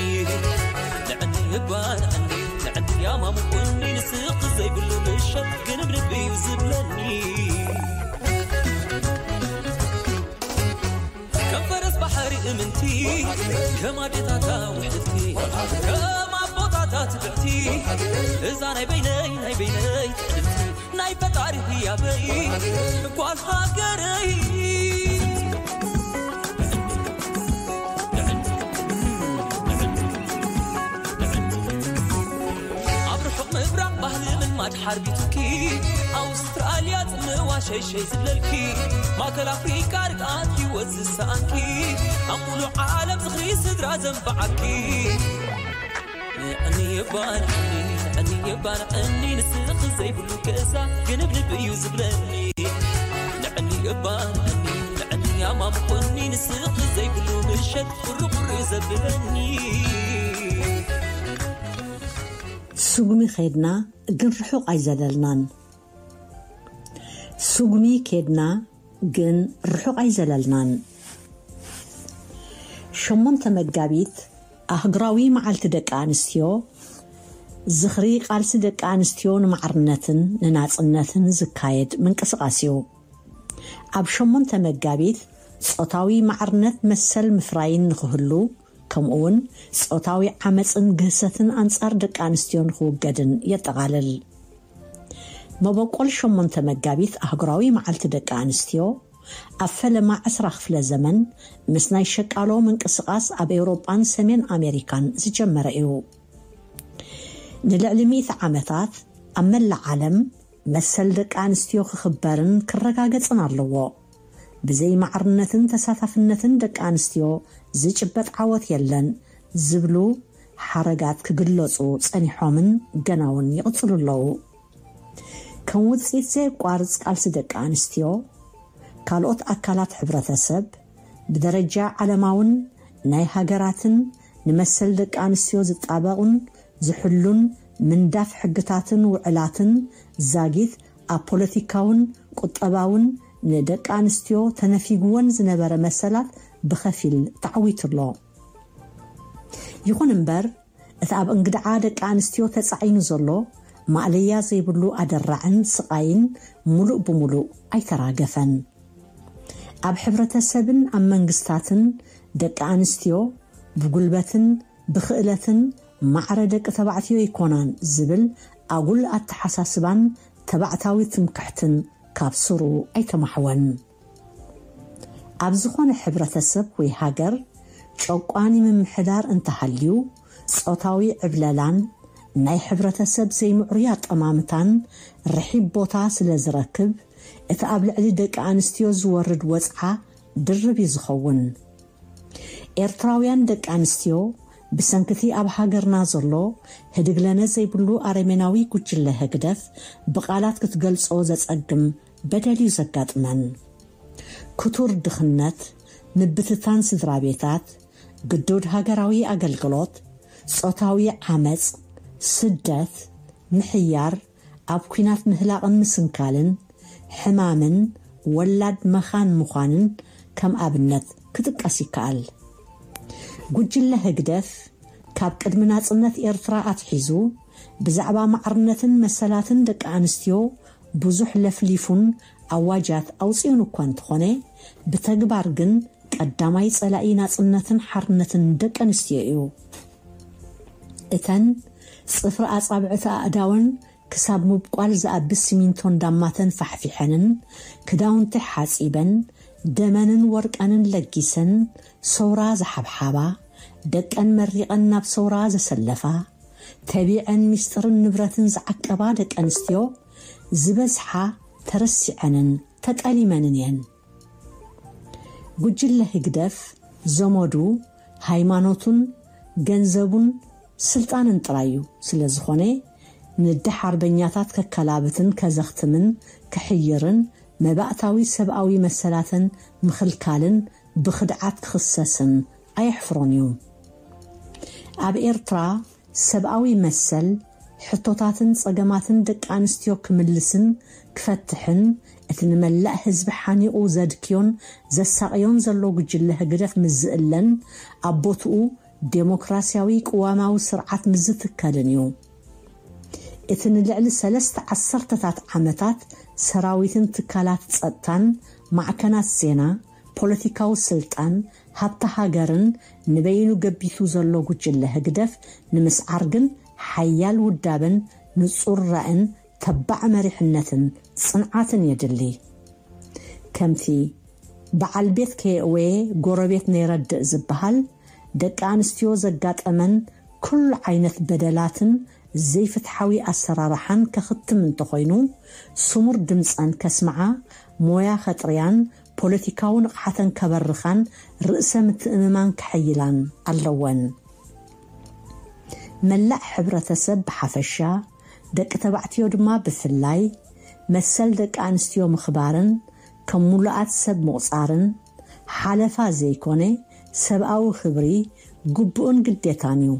ንዕኒ የባን፣ እኒ፣ ንዕኒ ያማሙ፣ እኒ ንስኽ ዘይብሉ ምሸት ግን ብልቢ እዩ ዝብለኒ። ከም ፈረስ ባሕሪ እምንቲ፣ ከም ኣዴታታ ውሕልልቲ፣ ከም ኣቦታታ ትብዕቲ፣ እዛ ናይ በይነይ፣ ናይ በይነይ ትዕድልቲ፣ ናይ ፈጣሪ ህያበይ ጓል ሃገረይ። ኣብ ርሑቕ ምብራቕ ባህሊ ምልማድ ሓርቢቱኪ፣ ኣውስትራልያ ጽምዋ ሸይሸይ ዝብለልኪ፣ ማእከል ኣፍሪቃ ርግኣት ህይወት ዝሰኣንኪ፣ ኣብ ሙሉእ ዓለም ዝኽሪ ስድራ ዘንበዓኪ። ንዕኒ የባን ዕኒ፣ ንዕኒ የባን ዕኒ፣ ንስኺ ዘይብሉ ገዛ ግንብንብ እዩ ዝብለኒ። ንዕኒ የባን ዕኒ፣ ንዕኒ ያማም ኾኒ፣ ንስኺ ዘይብሉ ምሸት ቁሪ ቁሪ ዘብለኒ። ስጉሚ ኸድና ግን ርሑቕ ኣይዘለልናን። ስጉሚ ኬድና ግን ርሑቕ ኣይዘለልናን። ሸሞንተ መጋቢት ኣህጉራዊ መዓልቲ ደቂ ኣንስትዮ፣ ዝኽሪ ቃልሲ ደቂ ኣንስትዮ ንማዕርነትን ንናጽነትን ዝካየድ ምንቅስቓስ እዩ። ኣብ ሸሞንተ መጋቢት ጾታዊ ማዕርነት መሰል ምፍራይን ንኽህሉ፣ ከምኡውን ጾታዊ ዓመጽን ግህሰትን ኣንጻር ደቂ ኣንስትዮ ንኽውገድን የጠቓልል። መበቆል ሸሞንተ መጋቢት ኣህጉራዊ መዓልቲ ደቂ ኣንስትዮ፣ ኣብ ፈለማ ዕስራ ክፍለ ዘመን ምስ ናይ ሸቃሎ ምንቅስቓስ ኣብ ኤውሮጳን ሰሜን ኣሜሪካን ዝጀመረ እዩ። ንልዕሊ ሚእቲ ዓመታት ኣብ መላእ ዓለም መሰል ደቂ ኣንስትዮ ክኽበርን ክረጋገጽን ኣለዎ። ብዘይ ማዕርነትን ተሳታፍነትን ደቂ ኣንስትዮ ዝጭበጥ ዓወት የለን ዝብሉ ሓረጋት ክግለጹ ጸኒሖምን ገና እውን ይቕጽሉ ኣለዉ። ከም ውጽኢት ዘየቋርጽ ቃልሲ ደቂ ኣንስትዮ፣ ካልኦት ኣካላት ሕብረተሰብ ብደረጃ ዓለማውን ናይ ሃገራትን ንመሰል ደቂ ኣንስትዮ ዝጣበቑን ዝሕሉን ምንዳፍ ሕግታትን ውዕላትን ዛጊት ኣብ ፖለቲካውን ቁጠባውን ንደቂ ኣንስትዮ ተነፊግወን ዝነበረ መሰላት ብኸፊል ተዓዊቱ ኣሎ። ይኹን እምበር፣ እቲ ኣብ እንግድዓ ደቂ ኣንስትዮ ተጻዒኑ ዘሎ ማእለያ ዘይብሉ ኣደራዕን ስቓይን ምሉእ ብምሉእ ኣይተራገፈን። ኣብ ሕብረተሰብን ኣብ መንግስታትን ደቂ ኣንስትዮ ብጉልበትን ብኽእለትን ማዕረ ደቂ ተባዕትዮ ኣይኮናን ዝብል ኣጉል ኣተሓሳስባን ተባዕታዊ ትምክሕትን ካብ ስሩ ኣይተማሕወን። ኣብ ዝኾነ ሕብረተሰብ ወይ ሃገር ጨቋኒ ምምሕዳር እንተሃልዩ፣ ጾታዊ ዕብለላን ናይ ሕብረተሰብ ዘይምዕሩይ ኣጠማምታን ርሒብ ቦታ ስለ ዝረክብ፣ እቲ ኣብ ልዕሊ ደቂ ኣንስትዮ ዝወርድ ወጽዓ ድርብ እዩ ዝኸውን። ኤርትራውያን ደቂ ኣንስትዮ ብሰንክቲ ኣብ ሃገርና ዘሎ ህድግለነ ዘይብሉ ኣረሜናዊ ጉጅለ ህግደፍ ብቓላት ክትገልጾ ዘጸግም በደል እዩ ዘጋጥመን። ክቱር ድኽነት፣ ምብትታን ስድራ ቤታት፣ ግዱድ ሃገራዊ ኣገልግሎት፣ ጾታዊ ዓመጽ፣ ስደት፣ ምሕያር፣ ኣብ ኲናት ምህላቕን ምስንካልን፣ ሕማምን ወላድ መኻን ምዃንን ከም ኣብነት ክጥቀስ ይከኣል። ጉጅለ ህግደፍ ካብ ቅድሚ ናጽነት ኤርትራ ኣትሒዙ ብዛዕባ ማዕርነትን መሰላትን ደቂ ኣንስትዮ ብዙሕ ለፍሊፉን ኣዋጃት ኣውጺኡን እኳ እንተኾነ፣ ብተግባር ግን ቀዳማይ ጸላኢ ናጽነትን ሓርነትን ደቂ ኣንስትዮ እዩ። እተን ጽፍሪ ኣጻብዕቲ ኣእዳወን ክሳብ ምብቋል ዝኣቢ ሲሚንቶ እንዳማተን ፋሕፊሐንን፣ ክዳውንቲ ሓጺበን፣ ደመንን ወርቀንን ለጊሰን፣ ሰውራ ዝሓብሓባ፣ ደቀን መሪቐን ናብ ሰውራ ዘሰለፋ፣ ተቢዐን ሚስጥርን ንብረትን ዝዓቀባ ደቂ ኣንስትዮ ዝበዝሓ ተረሲዐንን ተጠሊመንን እየን። ጉጅለ ህግደፍ ዘመዱ ሃይማኖቱን ገንዘቡን ስልጣንን ጥራይ እዩ። ስለ ዝኾነ፣ ንደሓርበኛታት ከከላብትን ከዘኽትምን ክሕይርን መባእታዊ ሰብኣዊ መሰላተን ምኽልካልን ብኽድዓት ክኽሰስን ኣየሕፍሮን እዩ። ኣብ ኤርትራ ሰብኣዊ መሰል፣ ሕቶታትን ጸገማትን ደቂ ኣንስትዮ ክምልስን ክፈትሕን፣ እቲ ንመላእ ህዝቢ ሓኒቑ ዘድክዮን ዘሳቕዮን ዘሎ ጉጅለ ህግደፍ ምስ ዝእለን፣ ኣብ ቦትኡ ዴሞክራሲያዊ ቅዋማዊ ስርዓት ምስ ዝትከልን እዩ። እቲ ንልዕሊ ሰለስተ ዓሰርተታት ዓመታት ሰራዊትን ትካላት ጸጥታን ማዕከናት ዜና፣ ፖለቲካዊ ስልጣን፣ ሃብቲ ሃገርን ንበይኑ ገቢቱ ዘሎ ጉጅለ ህግደፍ ንምስዓር ግን ሓያል ውዳበን ንጹር ራእን ተባዕ መሪሕነትን ጽንዓትን የድሊ። ከምቲ በዓል ቤት ከየእወየ ጎረቤት ነይረድእ ዝበሃል፣ ደቂ ኣንስትዮ ዘጋጠመን ኩሉ ዓይነት በደላትን ዘይፍትሓዊ ኣሰራርሓን ከኽትም እንተኾይኑ፣ ስሙር ድምጸን ከስምዓ፣ ሞያ ከጥርያን ፖለቲካዊ ንቕሓተን ከበርኻን ርእሰ ምትእምማን ከሐይላን ኣለወን። መላእ ሕብረተሰብ ብሓፈሻ፣ ደቂ ተባዕትዮ ድማ ብፍላይ፣ መሰል ደቂ ኣንስትዮ ምኽባርን ከም ምሉኣት ሰብ ምቑጻርን ሓለፋ ዘይኮነ፣ ሰብኣዊ ክብሪ፣ ግቡእን ግዴታን እዩ።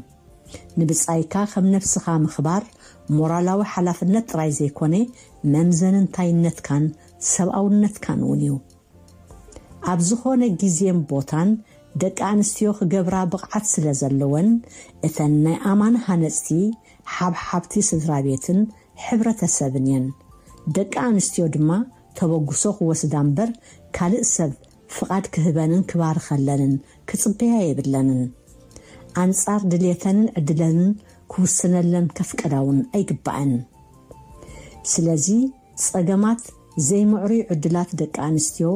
ንብጻይካ ከም ነብስኻ ምኽባር ሞራላዊ ሓላፍነት ጥራይ ዘይኮነ፣ መምዘኒ እንታይነትካን ሰብኣውነትካን እውን እዩ። ኣብ ዝኾነ ግዜን ቦታን ደቂ ኣንስትዮ ክገብራ ብቕዓት ስለ ዘለወን፣ እተን ናይ ኣማን ሃነጽቲ ሓብሓብቲ ስድራ ቤትን ሕብረተሰብን እየን። ደቂ ኣንስትዮ ድማ ተበግሶ ክወስዳ እምበር፣ ካልእ ሰብ ፍቓድ ክህበንን ክባርኸለንን ክጽበያ የብለንን። ኣንጻር ድልየተንን ዕድለንን ክውስነለን ከፍቀዳ እውን ኣይግባእን። ስለዚ፣ ጸገማት ዘይምዕሩይ ዕድላት ደቂ ኣንስትዮ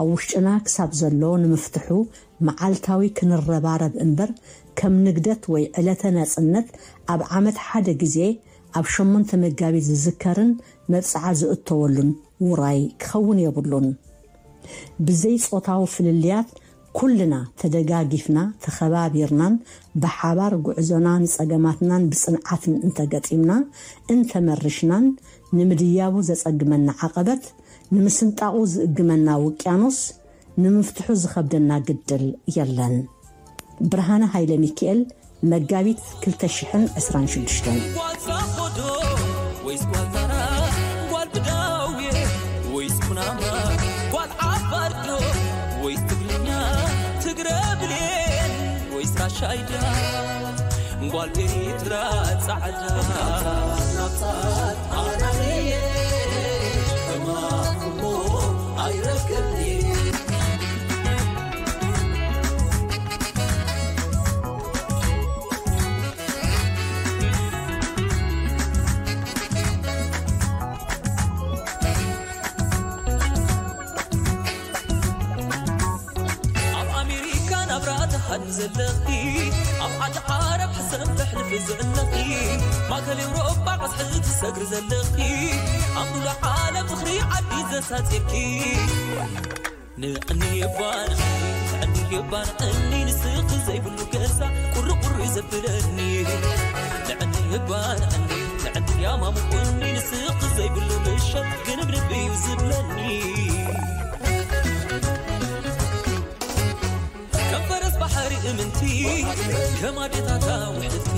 ኣብ ውሽጥና ክሳብ ዘሎ ንምፍትሑ መዓልታዊ ክንረባረብ እምበር፣ ከም ንግደት ወይ ዕለተ ናጽነት ኣብ ዓመት ሓደ ግዜ ኣብ ሸሞንተ መጋቢት ዝዝከርን መብጽዓ ዝእተወሉን ውራይ ክኸውን የብሉን። ብዘይ ጾታዊ ፍልልያት ኩልና ተደጋጊፍና፣ ተኸባቢርናን ብሓባር ጉዕዞና ንጸገማትናን ብጽንዓትን እንተገጢምና፣ እንተመርሽናን፣ ንምድያቡ ዘጸግመና ዓቐበት፣ ንምስንጣቑ ዝእግመና ውቅያኖስ፣ ንምፍትሑ ዝኸብደና ግድል የለን። ብርሃነ ሃይለ ሚካኤል፣ መጋቢት ክልተ ሽሕን ዕስራን ሽዱሽተን። ጓል ዛኾዶ ወይስ ጓል ታራ? ጓል ብዳውየ ወይስ ኩናማ? ጓል ዓፋርዶ ወይስ ትግርኛ? ትግረ ብሌን ወይስ ራሻይዳ? ጓል ኤርትራ ጻዕዳ ናብታት ኣናየ ሕማም እሞ ኣይረክብኒ። ኣብ ኣሜሪካ ናብራ ትሃድሚ ዘለኺ፣ ኣብ ዓዲ ዓረብ ሕሰም ተሕልፊ ዘለኺ፣ ማእከል ኤውሮጳ ቀስሒ ትሰግሪ ዘለኺ፣ ኣብ ሙሉእ ዓለም ዝኽሪ ዓዲ ዘሳጺርኪ። ንዕኒ እባ ንዕኒ፣ ንዕኒ እባ ንዕኒ፣ ንስኺ ዘይብሉ ገዛ ቁሪ ቁሪ ዘብለኒ። ንዕኒ እባ ንዕኒ፣ ንዕኒ ያማሙ ቁኒ፣ ንስኺ ዘይብሉ ምሸት ግንብንብ እዩ ዝብለኒ። ከም ፈረስ ባሕሪ እምንቲ፣ ከም ኣዴታታ ውሕድቲ፣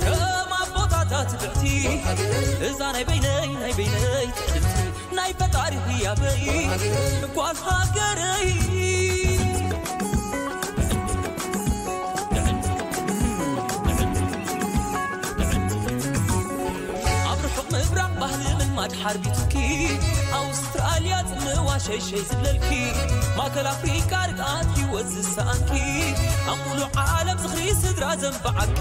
ከም ኣቦታታ ትብዕቲ፣ እዛ ናይ በይነይ፣ ናይ በይነይ ትዕድልቲ፣ ናይ ፈጣሪ ህያበይ ጓል ሃገረይ። ኣብ ርሑቕ ምብራቕ ባህሊ ምልማድ ሓርቢቱኪ፣ ኣውስትራልያ ጽምዋ ሸይሸይ ዝብለልኪ፣ ማእከል ኣፍሪቃ ርግኣት ህይወት ዝሰኣንኪ፣ ኣብ ሙሉእ ዓለም ዝኽሪ ስድራ ዘንበዓኪ።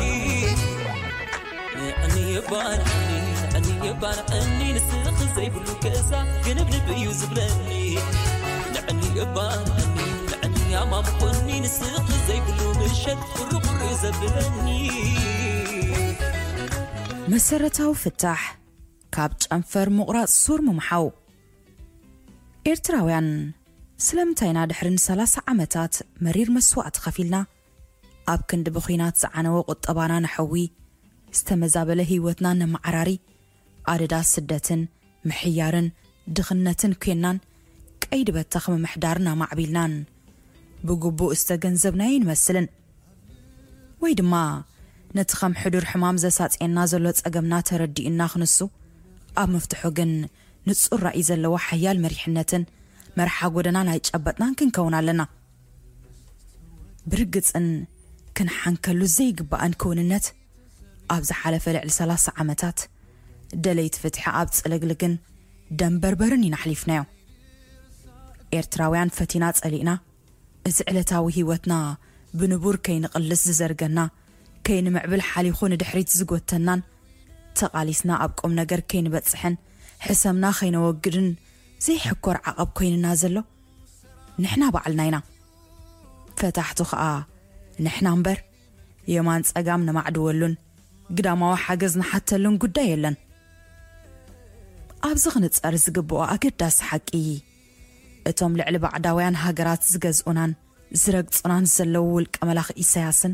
ንዕኒ እባ ንዕኒ፣ ንዕኒ እባ ንዕኒ፣ ንስኺ ዘይብሉ ገዛ ግንብንብ እዩ ዝብለኒ። ንዕኒ እባ ንዕኒ፣ ንዕኒ ያማሙ ቁኒ፣ ንስኺ ዘይብሉ ምሸት ቁሪ ቁሪ ዘብለኒ። መሰረታዊ ፍታሕ ካብ ጨንፈር ምቑራጽ ሱር ምምሓው። ኤርትራውያን፣ ስለምንታይ ኢና ድሕሪ ንሰላሳ ዓመታት መሪር መስዋእቲ ከፊልና፣ ኣብ ክንዲ ብኲናት ዝዓነወ ቁጠባና ንሐዊ፣ ዝተመዛበለ ህይወትና ነመዓራሪ፣ ኣደዳ ስደትን ምሕያርን ድኽነትን ኲናን፣ ቀይዲ በታኽ ምምሕዳርና ማዕቢልናን ብግቡእ ዝተገንዘብናዮ ኣይንመስልን። ወይ ድማ ነቲ ከም ሕዱር ሕማም ዘሳጽየና ዘሎ ጸገምና ተረዲኡና ክንሱ፣ ኣብ ምፍትሑ ግን ንጹር ራእይ ዘለዎ ሓያል መሪሕነትን መርሓ ጎደናን ኣይጨበጥናን ክንከውን ኣለና። ብርግጽን ክንሓንከሉ ዘይግባእን ክውንነት፣ ኣብ ዝሓለፈ ልዕሊ ሰላሳ ዓመታት ደለይቲ ፍትሒ ኣብ ጽልግልግን ደንበርበርን ኢና ኣሕሊፍናዮ። ኤርትራውያን ፈቲና ጸሊእና፣ እዚ ዕለታዊ ህይወትና ብንቡር ከይንቕልስ ዝዘርገና፣ ከይንምዕብል ሓሊኹ ንድሕሪት ዝጎተናን፣ ተቓሊስና ኣብ ቁም ነገር ከይንበጽሕን ሕሰምና ከይነወግድን ዘይሕኮር ዓቐብ ኮይንና ዘሎ ንሕና ባዕልና ኢና። ፈታሕቱ ኸኣ ንሕና እምበር፣ የማን ጸጋም ነማዕድወሉን ግዳማዊ ሓገዝ ንሓተሉን ጉዳይ የለን። ኣብዚ ክንጸር ዝግብኦ ኣገዳሲ ሓቂ፣ እቶም ልዕሊ ባዕዳውያን ሃገራት ዝገዝኡናን ዝረግጹናን ዘለዉ ውልቀ መላኺ ኢሳያስን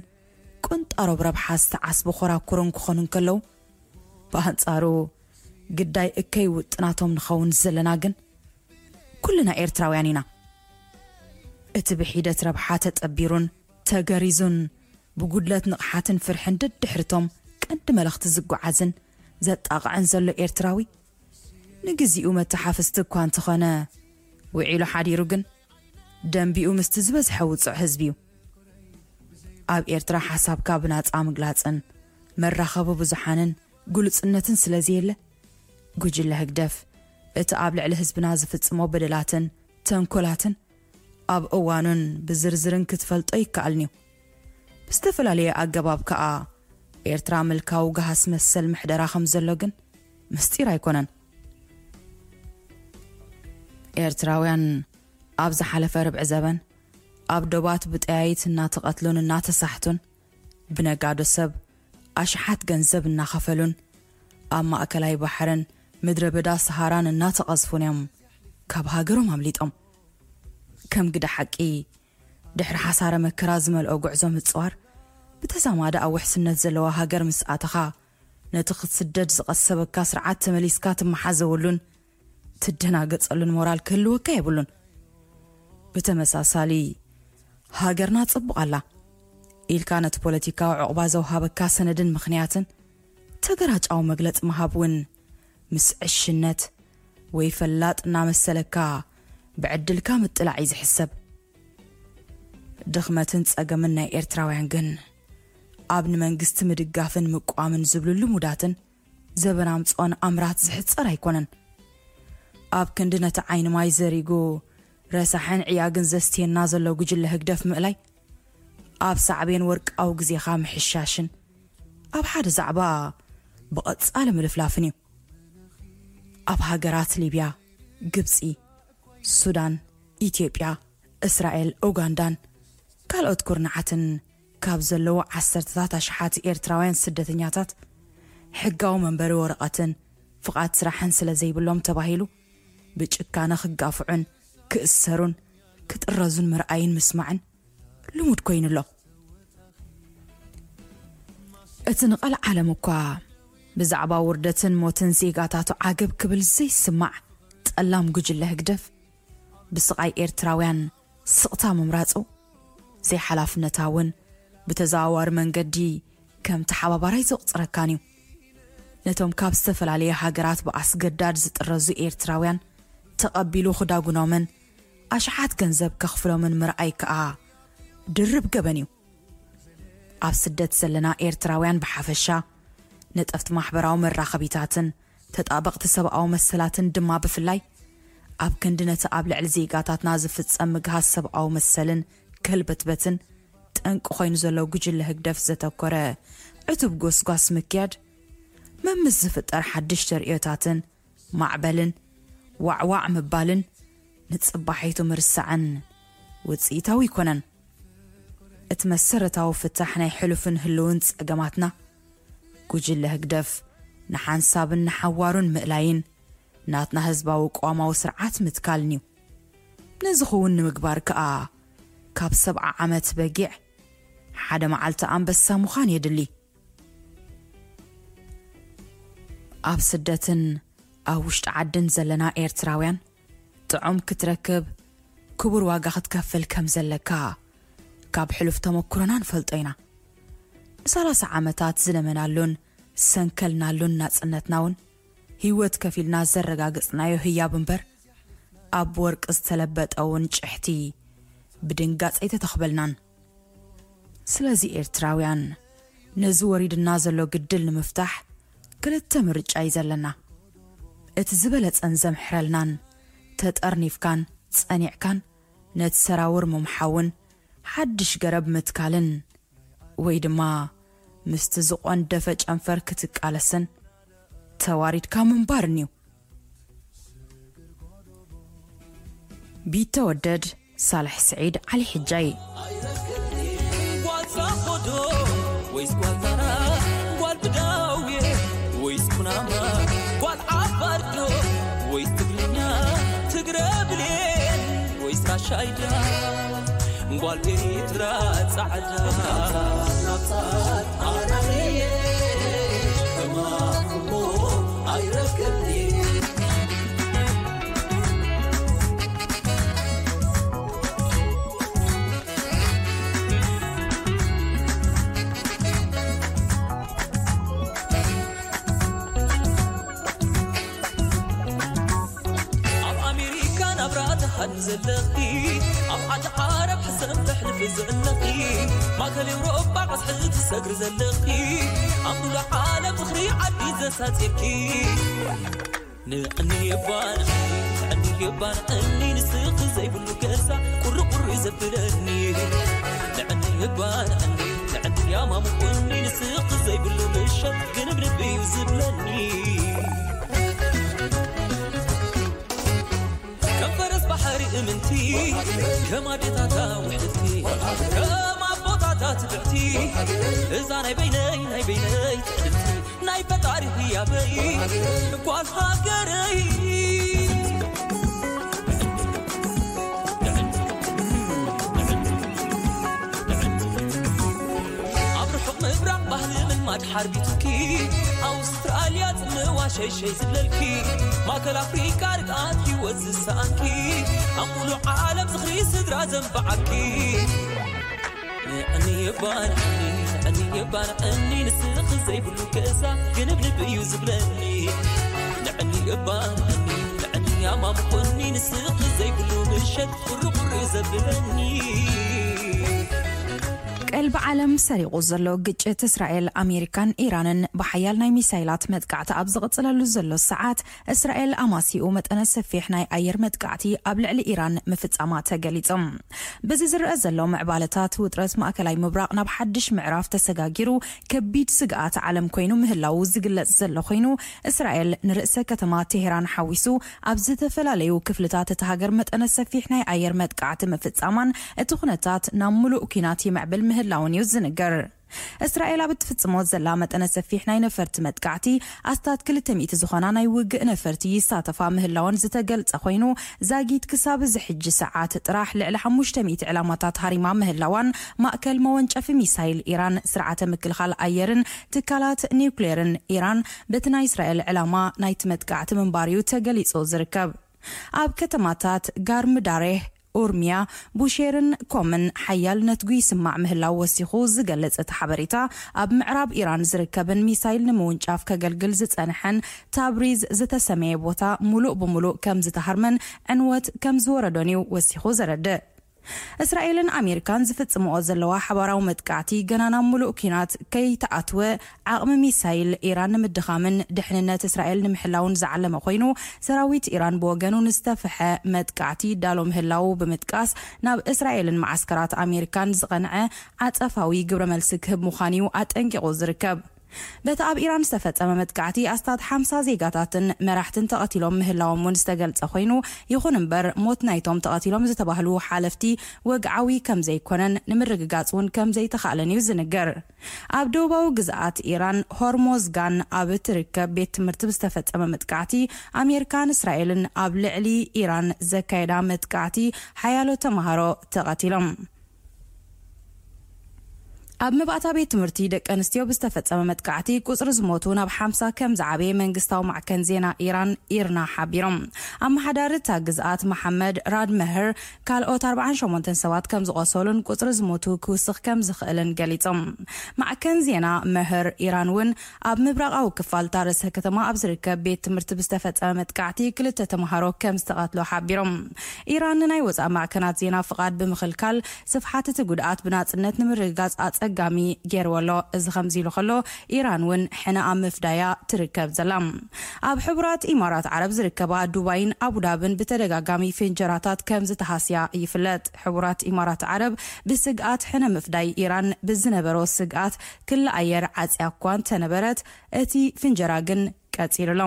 ቁንጣሮብ ረብሓ ዝተዓስቡ ኮራኩርን ክኾኑ እንከለዉ፣ ብኣንጻሩ ግዳይ እከይ ውጥናቶም ንኸውን ዘለና ግን ኩልና ኤርትራውያን ኢና። እቲ ብሒደት ረብሓ ተጠቢሩን ተገሪዙን ብጉድለት ንቕሓትን ፍርሕን ደድሕርቶም ቀንዲ መለኽቲ ዝጓዓዝን ዘጣቕዕን ዘሎ ኤርትራዊ፣ ንግዚኡ መተሓፍስቲ እኳ እንተኾነ፣ ውዒሉ ሓዲሩ ግን ደንቢኡ ምስቲ ዝበዝሐ ውጹዕ ህዝቢ እዩ። ኣብ ኤርትራ ሓሳብካ ብናጻ ምግላጽን መራኸቢ ብዙሓንን ግሉጽነትን ስለ ዘየለ፣ ጉጅለ ህግደፍ እቲ ኣብ ልዕሊ ህዝብና ዝፍጽሞ በደላትን ተንኮላትን ኣብ እዋኑን ብዝርዝርን ክትፈልጦ ይከኣልን'ዩ። ብዝተፈላለየ ኣገባብ ከኣ ኤርትራ ምልካዊ ገሃስ መሰል ምሕደራ ከም ዘሎ ግን ምስጢር ኣይኮነን። ኤርትራውያን ኣብ ዝሓለፈ ርብዒ ዘበን ኣብ ዶባት ብጠያይት እናተቐትሉን እናተሳሕቱን፣ ብነጋዶ ሰብ ኣሽሓት ገንዘብ እናኸፈሉን፣ ኣብ ማእከላይ ባሕርን ምድረ በዳ ሰሃራን እናተቐዝፉን እዮም ካብ ሃገሮም ኣምሊጦም። ከም ግደ ሓቂ፣ ድሕሪ ሓሳረ መከራ ዝመልኦ ጉዕዞ ምጽዋር፣ ብተዛማዲ ኣብ ውሕስነት ዘለዋ ሃገር ምስ ኣተኻ፣ ነቲ ክትስደድ ዝቐሰበካ ስርዓት ተመሊስካ ትመሓዘወሉን ትደናገጸሉን ሞራል ክህልወካ የብሉን። ብተመሳሳሊ፣ ሃገርና ጽቡቕ ኣላ ኢልካ ነቲ ፖለቲካዊ ዕቑባ ዘውሃበካ ሰነድን ምኽንያትን ተገራጫዊ መግለጺ ምሃብ እውን ምስ ዕሽነት ወይ ፈላጥ እናመሰለካ ብዕድልካ ምጥላዕ እዩ ዝሕሰብ። ድኽመትን ጸገምን ናይ ኤርትራውያን ግን ኣብ ንመንግስቲ ምድጋፍን ምቋምን ዝብሉ ልሙዳትን ዘበን ኣምጽኦን ኣምራት ዝሕጸር ኣይኮነን። ኣብ ክንዲ ነቲ ዓይኒ ማይ ዘሪጉ ረሳሕን ዕያግን ዘስትየና ዘሎ ጉጅለ ህግደፍ ምእላይ፣ ኣብ ሳዕቤን ወርቃዊ ግዜኻ ምሕሻሽን ኣብ ሓደ ዛዕባ ብቐጻሊ ምልፍላፍን እዩ። ኣብ ሃገራት ሊብያ፣ ግብጺ፣ ሱዳን፣ ኢትዮጵያ፣ እስራኤል፣ ኡጋንዳን ካልኦት ኩርናዓትን ካብ ዘለዉ ዓሰርተታት ኣሽሓት ኤርትራውያን ስደተኛታት፣ ሕጋዊ መንበሪ ወረቐትን ፍቓድ ስራሕን ስለ ዘይብሎም ተባሂሉ ብጭካነ ክጋፍዑን ክእሰሩን ክጥረዙን ምርኣይን ምስማዕን ልሙድ ኮይኑ ኣሎ። እቲ ንቐልዓለም እኳ ብዛዕባ ውርደትን ሞትን ዜጋታቱ ዓገብ ክብል ዘይስማዕ ጠላም ጉጅለ ህግደፍ፣ ብስቓይ ኤርትራውያን ስቕታ ምምራጹ ዘይሓላፍነታውን ብተዘዋዋሪ መንገዲ ከም ተሓባባራይ ዘቑጽረካን እዩ። ነቶም ካብ ዝተፈላለየ ሃገራት ብኣስገዳድ ዝጥረዙ ኤርትራውያን ተቐቢሉ ክዳጉኖምን ኣሽሓት ገንዘብ ከኽፍሎምን ምርኣይ ከኣ ድርብ ገበን እዩ። ኣብ ስደት ዘለና ኤርትራውያን ብሓፈሻ፣ ነጠፍቲ ማሕበራዊ መራኸቢታትን ተጣበቕቲ ሰብኣዊ መሰላትን ድማ ብፍላይ፣ ኣብ ክንዲ ነቲ ኣብ ልዕሊ ዜጋታትና ዝፍጸም ምግሃስ ሰብኣዊ መሰልን ከልበትበትን ጠንቂ ኮይኑ ዘሎ ጉጅለ ህግደፍ ዘተኮረ ዕቱብ ጎስጓስ ምክያድ፣ መምስ ዝፍጠር ሓድሽ ተርእዮታትን ማዕበልን ዋዕዋዕ ምባልን ንጽባሒቱ ምርሳዕን ውጽኢታዊ ኣይኮነን። እቲ መሰረታዊ ፍታሕ ናይ ሕሉፍን ህልውን ጸገማትና፣ ጉጅለ ህግደፍ ንሓንሳብን ንሓዋሩን ምእላይን ናትና ህዝባዊ ቅዋማዊ ስርዓት ምትካልን እዩ። ነዚ ክውን ንምግባር ከኣ፣ ካብ ሰብዓ ዓመት በጊዕ ሓደ መዓልቲ ኣንበሳ ምዃን የድሊ። ኣብ ስደትን ኣብ ውሽጢ ዓድን ዘለና ኤርትራውያን፣ ጥዑም ክትረክብ ክቡር ዋጋ ክትከፍል ከም ዘለካ ካብ ሕሉፍ ተመኩሮና ንፈልጦ ኢና። ንሰላሳ ዓመታት ዝለመናሉን ዝሰንከልናሉን ናጽነትና እውን ህይወት ከፊልና ዘረጋገጽናዮ ህያብ እምበር፣ ኣብ ወርቂ ዝተለበጠ እውን ጭሕቲ ብድንጋጸ ኣይተተኽበልናን። ስለዚ ኤርትራውያን፣ ነዚ ወሪድና ዘሎ ግድል ንምፍታሕ ክልተ ምርጫ እዩ ዘለና። እቲ ዝበለጸን ዘምሕረልናን፣ ተጠርኒፍካን ጸኒዕካን ነቲ ሰራውር ምምሓውን ሓድሽ ገረብ ምትካልን፣ ወይ ድማ ምስቲ ዝቖንደፈ ጨንፈር ክትቃለስን ተዋሪድካ ምንባርን እዩ። ቢተወደድ ሳልሕ ስዒድ ዓሊ ሕጃይ። ጓል ሳኾዶ ወይስ ጓል ታራ? ጓል ብዳውየ ወይስ ኩናማ? ጓል ዓፋርዶ ወይስ ትግርኛ? ትግረ ብሌን ወይስ ራሻይዳ? ጓል ኤሪትራ ጻዕዳ። ኣብ ኣሜሪካ ናብራ ትሃድሚ ዘለኺ፣ ኣብ ዓዲ ዓረብ ሕሰም ተሕልፊ ዘለኺ፣ ማእከል ኤውሮጳ ቀስሒ ትሰግሪ ዘለኺ፣ ኣብ ሙሉእ ዓለም ዝኽሪ ዓዲ ዘሳጺርኪ። ንዕኒ እባ ንዕኒ፣ ንዕኒ እባ ንዕኒ፣ ንስኺ ዘይብሉ ገዛ ቁሪ ቁሪ ዘብለኒ። ንዕኒ እባ ንዕኒ፣ ንዕኒ ያማሙቁኒ፣ ንስኺ ዘይብሉ ምሸት ግንብንብ እዩ ዝብለኒ። ከም ፈረስ ባሕሪ እምንቲ፣ ከም ኣዴታታ ውሕድቲ፣ ከም ኣቦታታ ትብዕቲ፣ እዛ ናይ በይነይ፣ ናይ በይነይ ትዕድልቲ፣ ናይ ፈጣሪ ህያበይ ጓል ሃገረይ። ኣብ ርሑቕ ምብራቕ ባህሊ ምልማድ ሓርቢቱኪ፣ ኣውስትራልያ ጽምዋ ሸይሸይ ዝብለልኪ፣ ማእከል ኣፍሪቃ ርግኣት ህይወት ዝሰኣንኪ፣ ኣብ ሙሉእ ዓለም ዝኽሪ ስድራ ዘንበዓኪ። ንዕኒ እባ ንዕኒ፣ ንዕኒ እባ ንዕኒ፣ ንስኺ ዘይብሉ ገዛ ግንብንብ እዩ ዝብለኒ። ንዕኒ እባ ንዕኒ፣ ንዕኒ ኣማሙቁኒ፣ ንስኺ ዘይብሉ ምሸት ቁሪ ቁሪ ዘብለኒ። ቀልቢ ዓለም ሰሪቑ ዘሎ ግጭት እስራኤል፣ ኣሜሪካን ኢራንን ብሓያል ናይ ሚሳይላት መጥቃዕቲ ኣብ ዝቕጽለሉ ዘሎ ሰዓት፣ እስራኤል ኣማሲኡ መጠነ ሰፊሕ ናይ ኣየር መጥቃዕቲ ኣብ ልዕሊ ኢራን ምፍጻማ ተገሊጹ። በዚ ዝረአ ዘሎ ምዕባለታት፣ ውጥረት ማእከላይ ምብራቕ ናብ ሓድሽ ምዕራፍ ተሰጋጊሩ፣ ከቢድ ስግኣት ዓለም ኮይኑ ምህላዉ ዝግለጽ ዘሎ ኮይኑ፣ እስራኤል ንርእሰ ከተማ ቴሄራን ሓዊሱ ኣብ ዝተፈላለዩ ክፍልታት እታ ሃገር መጠነ ሰፊሕ ናይ ኣየር መጥቃዕቲ ምፍጻማን እቲ ኩነታት ናብ ምሉእ ኲናት ይምዕብል ምህላውን እዩ ዝንገር። እስራኤል ኣብ እትፍጽሞ ዘላ መጠነ ሰፊሕ ናይ ነፈርቲ መጥቃዕቲ፣ ኣስታት ክልተ ሚእቲ ዝኾና ናይ ውግእ ነፈርቲ ይሳተፋ ምህላወን ዝተገልጸ ኮይኑ፣ ዛጊት ክሳብ እዚ ሕጂ ሰዓት ጥራሕ ልዕሊ ሓሙሽተ ሚእቲ ዕላማታት ሃሪማ ምህላዋን፣ ማእከል መወንጨፊ ሚሳይል ኢራን፣ ስርዓተ ምክልኻል ኣየርን ትካላት ኒውክሌርን ኢራን በቲ ናይ እስራኤል ዕላማ ናይቲ መጥቃዕቲ ምንባር እዩ ተገሊጹ ዝርከብ። ኣብ ከተማታት ጋርምዳሬህ፣ ኡርሚያ፣ ቡሼርን ኮምን ሓያል ነትጉ ይስማዕ ምህላው ወሲኹ ዝገልጽ እቲ ሓበሬታ፣ ኣብ ምዕራብ ኢራን ዝርከብን ሚሳይል ንምውንጫፍ ከገልግል ዝጸንሐን ታብሪዝ ዝተሰመየ ቦታ ሙሉእ ብሙሉእ ከም ዝተሃርመን ዕንወት ከም ዝወረዶን እዩ ወሲኹ ዘረድእ። እስራኤልን ኣሜሪካን ዝፍጽምኦ ዘለዋ ሓባራዊ መጥቃዕቲ፣ ገና ናብ ሙሉእ ኲናት ከይተኣትወ፣ ዓቕሚ ሚሳይል ኢራን ንምድኻምን ድሕንነት እስራኤል ንምሕላውን ዝዓለመ ኮይኑ፣ ሰራዊት ኢራን ብወገኑ ንዝተፍሐ መጥቃዕቲ ይዳሎ ምህላዉ ብምጥቃስ፣ ናብ እስራኤልን መዓስከራት ኣሜሪካን ዝቐንዐ ዓጸፋዊ ግብረ መልሲ ክህብ ምዃኑ'ዩ ኣጠንቂቑ ዝርከብ። በቲ ኣብ ኢራን ዝተፈጸመ መጥቃዕቲ፣ ኣስታት ሓምሳ ዜጋታትን መራሕትን ተቐቲሎም ምህላዎም እውን ዝተገልጸ ኮይኑ፣ ይኹን እምበር፣ ሞት ናይቶም ተቐቲሎም ዝተባህሉ ሓለፍቲ ወግዓዊ ከም ዘይኮነን ንምርግጋጽ እውን ከም ዘይተኻእለን እዩ ዝንገር። ኣብ ደቡባዊ ግዝኣት ኢራን፣ ሆርሞዝጋን ኣብ እትርከብ ቤት ትምህርቲ ብዝተፈጸመ መጥቃዕቲ፣ ኣሜሪካን እስራኤልን ኣብ ልዕሊ ኢራን ዘካየዳ መጥቃዕቲ፣ ሓያሎ ተማሃሮ ተቐቲሎም። ኣብ መባእታ ቤት ትምህርቲ ደቂ ኣንስትዮ ብዝተፈጸመ መጥቃዕቲ፣ ቁጽሪ ዝሞቱ ናብ ሓምሳ ከም ዝዓበየ መንግስታዊ ማዕከን ዜና ኢራን፣ ኢርና፣ ሓቢሮም። ኣመሓዳሪ እታ ግዝኣት መሓመድ ራድ መህር፣ ካልኦት ኣርባዓን ሸሞንተን ሰባት ከም ዝቖሰሉን ቁጽሪ ዝሞቱ ክውስኽ ከም ዝኽእልን ገሊጾም። ማዕከን ዜና መህር ኢራን እውን፣ ኣብ ምብራቓዊ ክፋል እታ ርእሰ ከተማ ኣብ ዝርከብ ቤት ትምህርቲ ብዝተፈጸመ መጥቃዕቲ ክልተ ተምሃሮ ከም ዝተቐትሉ ሓቢሮም። ኢራን ንናይ ወጻኢ ማዕከናት ዜና ፍቓድ ብምኽልካል፣ ስፍሓት እቲ ጉድኣት ብናጽነት ንምርግጋጽ ኣጸጋሚ ገይርዎ ኣሎ። እዚ ከምዚ ኢሉ ከሎ፣ ኢራን እውን ሕነ ኣብ ምፍዳያ ትርከብ ዘላ። ኣብ ሕቡራት ኢማራት ዓረብ ዝርከባ ዱባይን ኣቡዳብን ብተደጋጋሚ ፍንጀራታት ከም ዝተሃስያ ይፍለጥ። ሕቡራት ኢማራት ዓረብ ብስግኣት ሕነ ምፍዳይ ኢራን ብዝነበሮ ስግኣት ክሊ ኣየር ዓጽያ እኳ እንተነበረት፣ እቲ ፍንጀራ ግን ቀጺሉ ኣሎ።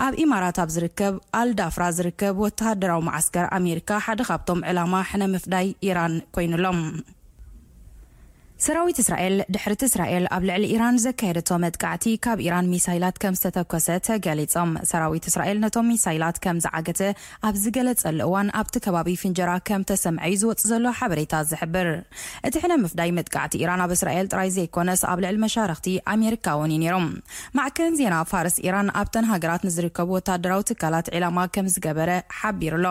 ኣብ ኢማራት ኣብ ዝርከብ ኣልዳፍራ ዝርከብ ወተሃደራዊ መዓስከር ኣሜሪካ ሓደ ካብቶም ዕላማ ሕነ ምፍዳይ ኢራን ኮይኑሎም። ሰራዊት እስራኤል፣ ድሕሪቲ እስራኤል ኣብ ልዕሊ ኢራን ዘካየደቶ መጥቃዕቲ፣ ካብ ኢራን ሚሳይላት ከም ዝተተኮሰ ተገሊጾም። ሰራዊት እስራኤል ነቶም ሚሳይላት ከም ዝዓገተ ኣብ ዝገለጸሉ እዋን፣ ኣብቲ ከባቢ ፍንጀራ ከም ተሰምዐ እዩ ዝወጽእ ዘሎ ሓበሬታ ዝሕብር። እቲ ሕነ ምፍዳይ መጥቃዕቲ ኢራን ኣብ እስራኤል ጥራይ ዘይኮነስ፣ ኣብ ልዕሊ መሻርኽቲ ኣሜሪካ እውን እዩ ነይሩ። ማዕከን ዜና ፋርስ፣ ኢራን ኣብተን ሃገራት ንዝርከቡ ወታደራዊ ትካላት ዒላማ ከም ዝገበረ ሓቢሩ ኣሎ።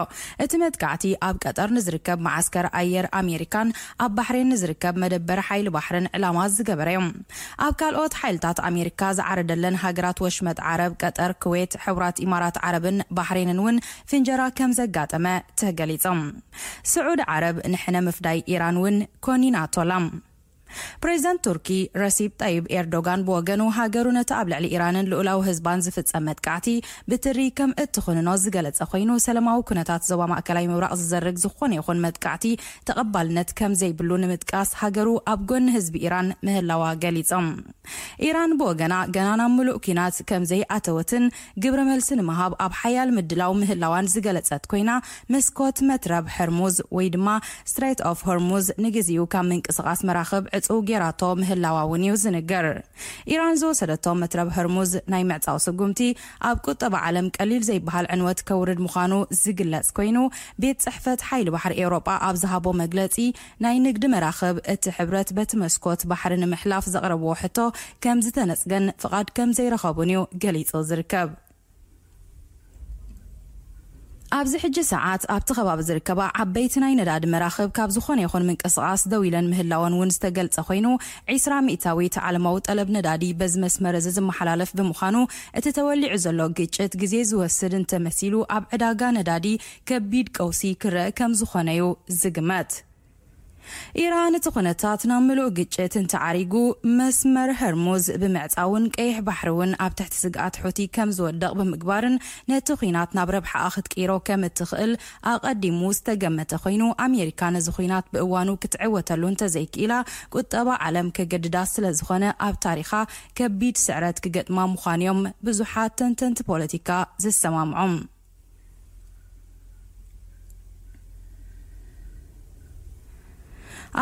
እቲ መጥቃዕቲ ኣብ ቀጠር ንዝርከብ መዓስከር ኣየር ኣሜሪካን ኣብ ባሕሬን ንዝርከብ መደበር ሓይሊ ባሕርን ዕላማ ዝገበረ እዩ። ኣብ ካልኦት ሓይልታት ኣሜሪካ ዝዓረደለን ሃገራት ወሽመጥ ዓረብ፣ ቀጠር፣ ኩዌት፣ ሕቡራት ኢማራት ዓረብን ባሕሬንን እውን ፍንጀራ ከም ዘጋጠመ ተገሊጾም። ስዑድ ዓረብ ንሕነ ምፍዳይ ኢራን እውን ኮኒናቶላ። ፕሬዚደንት ቱርኪ ረሲፕ ጠይብ ኤርዶጋን ብወገኑ፣ ሃገሩ ነቲ ኣብ ልዕሊ ኢራንን ልኡላዊ ህዝባን ዝፍጸም መጥቃዕቲ ብትሪ ከም እትኹንኖ ዝገለጸ ኮይኑ፣ ሰላማዊ ኩነታት ዞባ ማእከላይ ምብራቕ ዝዘርግ ዝኾነ ይኹን መጥቃዕቲ ተቐባልነት ከም ዘይብሉ ንምጥቃስ፣ ሃገሩ ኣብ ጎኒ ህዝቢ ኢራን ምህላዋ ገሊጾም። ኢራን ብወገና፣ ገና ናብ ምሉእ ኲናት ከም ዘይኣተወትን ግብረ መልሲ ንምሃብ ኣብ ሓያል ምድላው ምህላዋን ዝገለጸት ኮይና፣ መስኮት መትረብ ሕርሙዝ ወይ ድማ ስትሬት ኦፍ ሆርሙዝ ንግዜኡ ካብ ምንቅስቓስ መራኽብ ዕጹው ጌራቶ ምህላዋ እውን እዩ ዝንገር። ኢራን ዝወሰደቶ መትረብ ሆርሙዝ ናይ ምዕጻው ስጉምቲ፣ ኣብ ቁጠባ ዓለም ቀሊል ዘይበሃል ዕንወት ከውርድ ምዃኑ ዝግለጽ ኮይኑ፣ ቤት ጽሕፈት ሓይሊ ባሕሪ ኤውሮጳ ኣብ ዝሃቦ መግለጺ፣ ናይ ንግዲ መራኽብ እቲ ሕብረት በቲ መስኮት ባሕሪ ንምሕላፍ ዘቕረብዎ ሕቶ ከም ዝተነጽገን ፍቓድ ከም ዘይረኸቡን እዩ ገሊጹ ዝርከብ። ኣብዚ ሕጂ ሰዓት ኣብቲ ከባቢ ዝርከባ ዓበይቲ ናይ ነዳዲ መራኽብ ካብ ዝኾነ ይኹን ምንቅስቓስ ደው ኢለን ምህላወን እውን ዝተገልጸ ኮይኑ፣ ዒስራ ሚእታዊት ዓለማዊ ጠለብ ነዳዲ በዚ መስመር እዚ ዝመሓላለፍ ብምዃኑ፣ እቲ ተወሊዑ ዘሎ ግጭት ግዜ ዝወስድ እንተመሲሉ፣ ኣብ ዕዳጋ ነዳዲ ከቢድ ቀውሲ ክረአ ከም ዝኾነ እዩ ዝግመት። ኢራን እቲ ኩነታት ናብ ምሉእ ግጭት እንተዓሪጉ፣ መስመር ሆርሙዝ ብምዕጻውን ቀይሕ ባሕሪ እውን ኣብ ትሕቲ ስግኣት ሑቲ ከም ዝወድቕ ብምግባርን፣ ነቲ ኲናት ናብ ረብሓኣ ክትቅይሮ ከም እትኽእል ኣቐዲሙ ዝተገመተ ኮይኑ፣ ኣሜሪካ ነዚ ኲናት ብእዋኑ ክትዕወተሉ እንተዘይክኢላ፣ ቁጠባ ዓለም ከገድዳ ስለ ዝኾነ፣ ኣብ ታሪኻ ከቢድ ስዕረት ክገጥማ ምዃኑ እዮም ብዙሓት ተንተንቲ ፖለቲካ ዝሰማምዑ።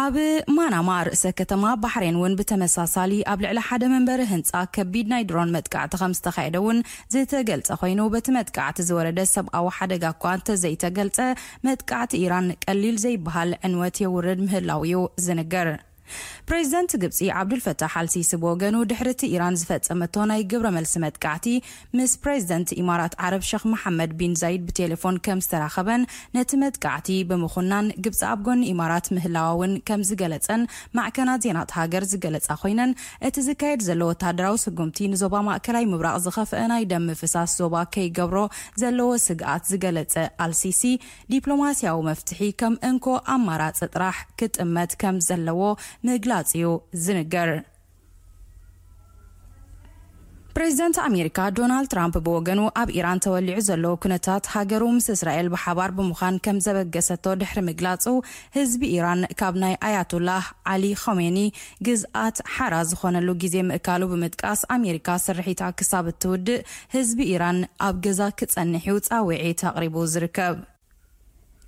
ኣብ ማናማ ርእሰ ከተማ ባሕሬን እውን ብተመሳሳሊ ኣብ ልዕሊ ሓደ መንበሪ ህንጻ ከቢድ ናይ ድሮን መጥቃዕቲ ከም ዝተኻየደ እውን ዝተገልጸ ኮይኑ፣ በቲ መጥቃዕቲ ዝወረደ ሰብኣዊ ሓደጋ እኳ እንተዘይተገልጸ፣ መጥቃዕቲ ኢራን ቀሊል ዘይበሃል ዕንወት የውርድ ምህላው እዩ ዝንገር። ፕሬዚደንት ግብጺ ዓብዱልፈታሕ ኣልሲሲ ብወገኑ፣ ድሕሪ እቲ ኢራን ዝፈጸመቶ ናይ ግብረ መልሲ መጥቃዕቲ፣ ምስ ፕሬዚደንት ኢማራት ዓረብ ሸኽ መሓመድ ቢን ዛይድ ብቴሌፎን ከም ዝተራኸበን፣ ነቲ መጥቃዕቲ ብምኹናን፣ ግብጺ ኣብ ጎኒ ኢማራት ምህላዋ እውን ከም ዝገለጸን ማዕከናት ዜና እታ ሃገር ዝገለጻ ኮይነን፣ እቲ ዝካየድ ዘሎ ወታደራዊ ስጉምቲ ንዞባ ማእከላይ ምብራቕ ዝኸፍአ ናይ ደም ምፍሳስ ዞባ ከይገብሮ ዘለዎ ስግኣት ዝገለጸ ኣልሲሲ፣ ዲፕሎማስያዊ መፍትሒ ከም እንኮ ኣማራጺ ጥራሕ ክጥመት ከም ዘለዎ ምግላጽ እዩ ዝንገር። ፕሬዚደንት ኣሜሪካ ዶናልድ ትራምፕ ብወገኑ፣ ኣብ ኢራን ተወሊዑ ዘሎ ኩነታት፣ ሃገሩ ምስ እስራኤል ብሓባር ብምዃን ከም ዘበገሰቶ ድሕሪ ምግላጹ፣ ህዝቢ ኢራን ካብ ናይ ኣያቶላህ ዓሊ ኾሜኒ ግዝኣት ሓራ ዝኾነሉ ግዜ ምእካሉ ብምጥቃስ፣ ኣሜሪካ ስርሒታ ክሳብ እትውድእ ህዝቢ ኢራን ኣብ ገዛ ክጸንሕ እዩ ጻውዒት ኣቕሪቡ ዝርከብ።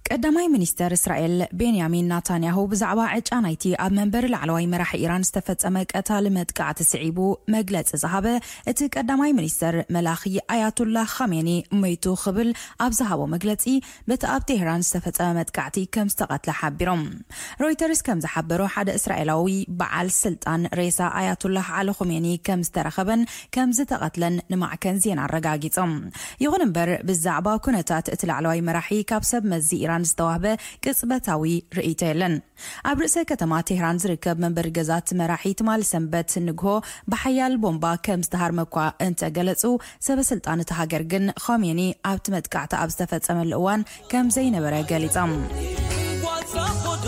ቀዳማይ ሚኒስተር እስራኤል ቤንያሚን ናታንያሁ ብዛዕባ ዕጫ ናይቲ ኣብ መንበሪ ላዕለዋይ መራሒ ኢራን ዝተፈጸመ ቀታሊ መጥቃዕቲ ስዒቡ መግለጺ ዝሃበ እቲ ቀዳማይ ሚኒስተር መላኺ፣ ኣያቱላ ኻሜኒ ሞይቱ ክብል ኣብ ዝሃቦ መግለጺ፣ በቲ ኣብ ቴህራን ዝተፈጸመ መጥቃዕቲ ከም ዝተቐትለ ሓቢሮም። ሮይተርስ ከም ዝሓበሮ፣ ሓደ እስራኤላዊ በዓል ስልጣን ሬሳ ኣያቱላህ ዓሊ ኹሜኒ ከም ዝተረኸበን ከም ዝተቐትለን ንማዕከን ዜና ኣረጋጊጾም። ይኹን እምበር፣ ብዛዕባ ኩነታት እቲ ላዕለዋይ መራሒ ካብ ሰብ መዚ ኢራን ዝተዋህበ ቅጽበታዊ ርእይቶ የለን። ኣብ ርእሰ ከተማ ቴህራን ዝርከብ መንበሪ ገዛ እቲ መራሒ ትማሊ ሰንበት ንግሆ ብሓያል ቦምባ ከም ዝተሃርመ እኳ እንተገለጹ፣ ሰበ ስልጣን እታ ሃገር ግን ኾሜኒ ኣብቲ መጥቃዕቲ ኣብ ዝተፈጸመሉ እዋን ከም ዘይነበረ ገሊጾም። ጓል ዛኾዶ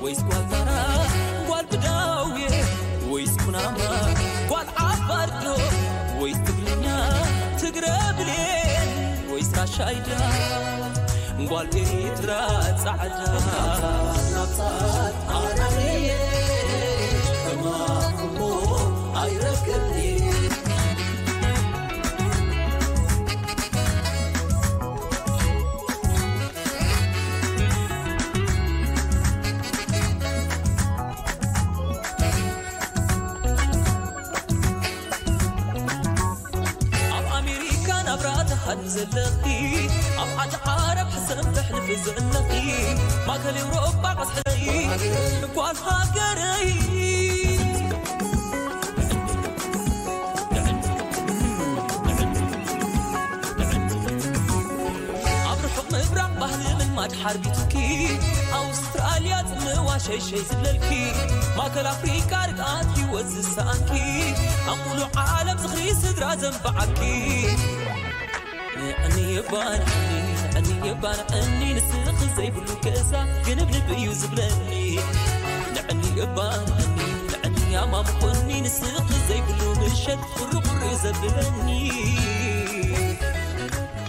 ወይስ ጓል ታራ፣ ጓል ብዳውየ ወይስ ኩናማ፣ ጓል ዓፋርዶ ወይስ ትግርኛ፣ ትግረ ብሌን ወይስ ራሻይዳ፣ ጓል ኤሪትራ ጻዕዳ። ኣብ ኣሜሪካ ናብራ ትሃድም ዘለኺ፣ ኣብ ዓዲ ዓረብ ሕሰም ተሕልፊ ዘለኺ፣ ማእከል ኤውሮጳ ቀስሕለይ ጓል ሃገረይ። ኣብ ርሑቕ ምብራቕ ባህሊ ምልማድ ሓርቢትኪ፣ ኣውስትራልያ ጽምዋ ሸይሸይ ዝብለልኪ፣ ማእከል ኣፍሪቃ ርግኣት ህይወት ዝሰኣንኪ፣ ኣብ ሙሉእ ዓለም ዝኽሪ ስድራ ዘንበዓኪ። ንዕኒ እባ ንዕኒ፣ ንዕኒ እባ ንዕኒ፣ ንስኺ ዘይብሉ ገዛ ግንብንብ እዩ ዝብለኒ። ንዕኒ እባ ንዕኒ፣ ንዕኒ ኣማሙቑኒ፣ ንስኺ ዘይብሉ ምሸት ቁሪ ቁሪ ዘብለኒ።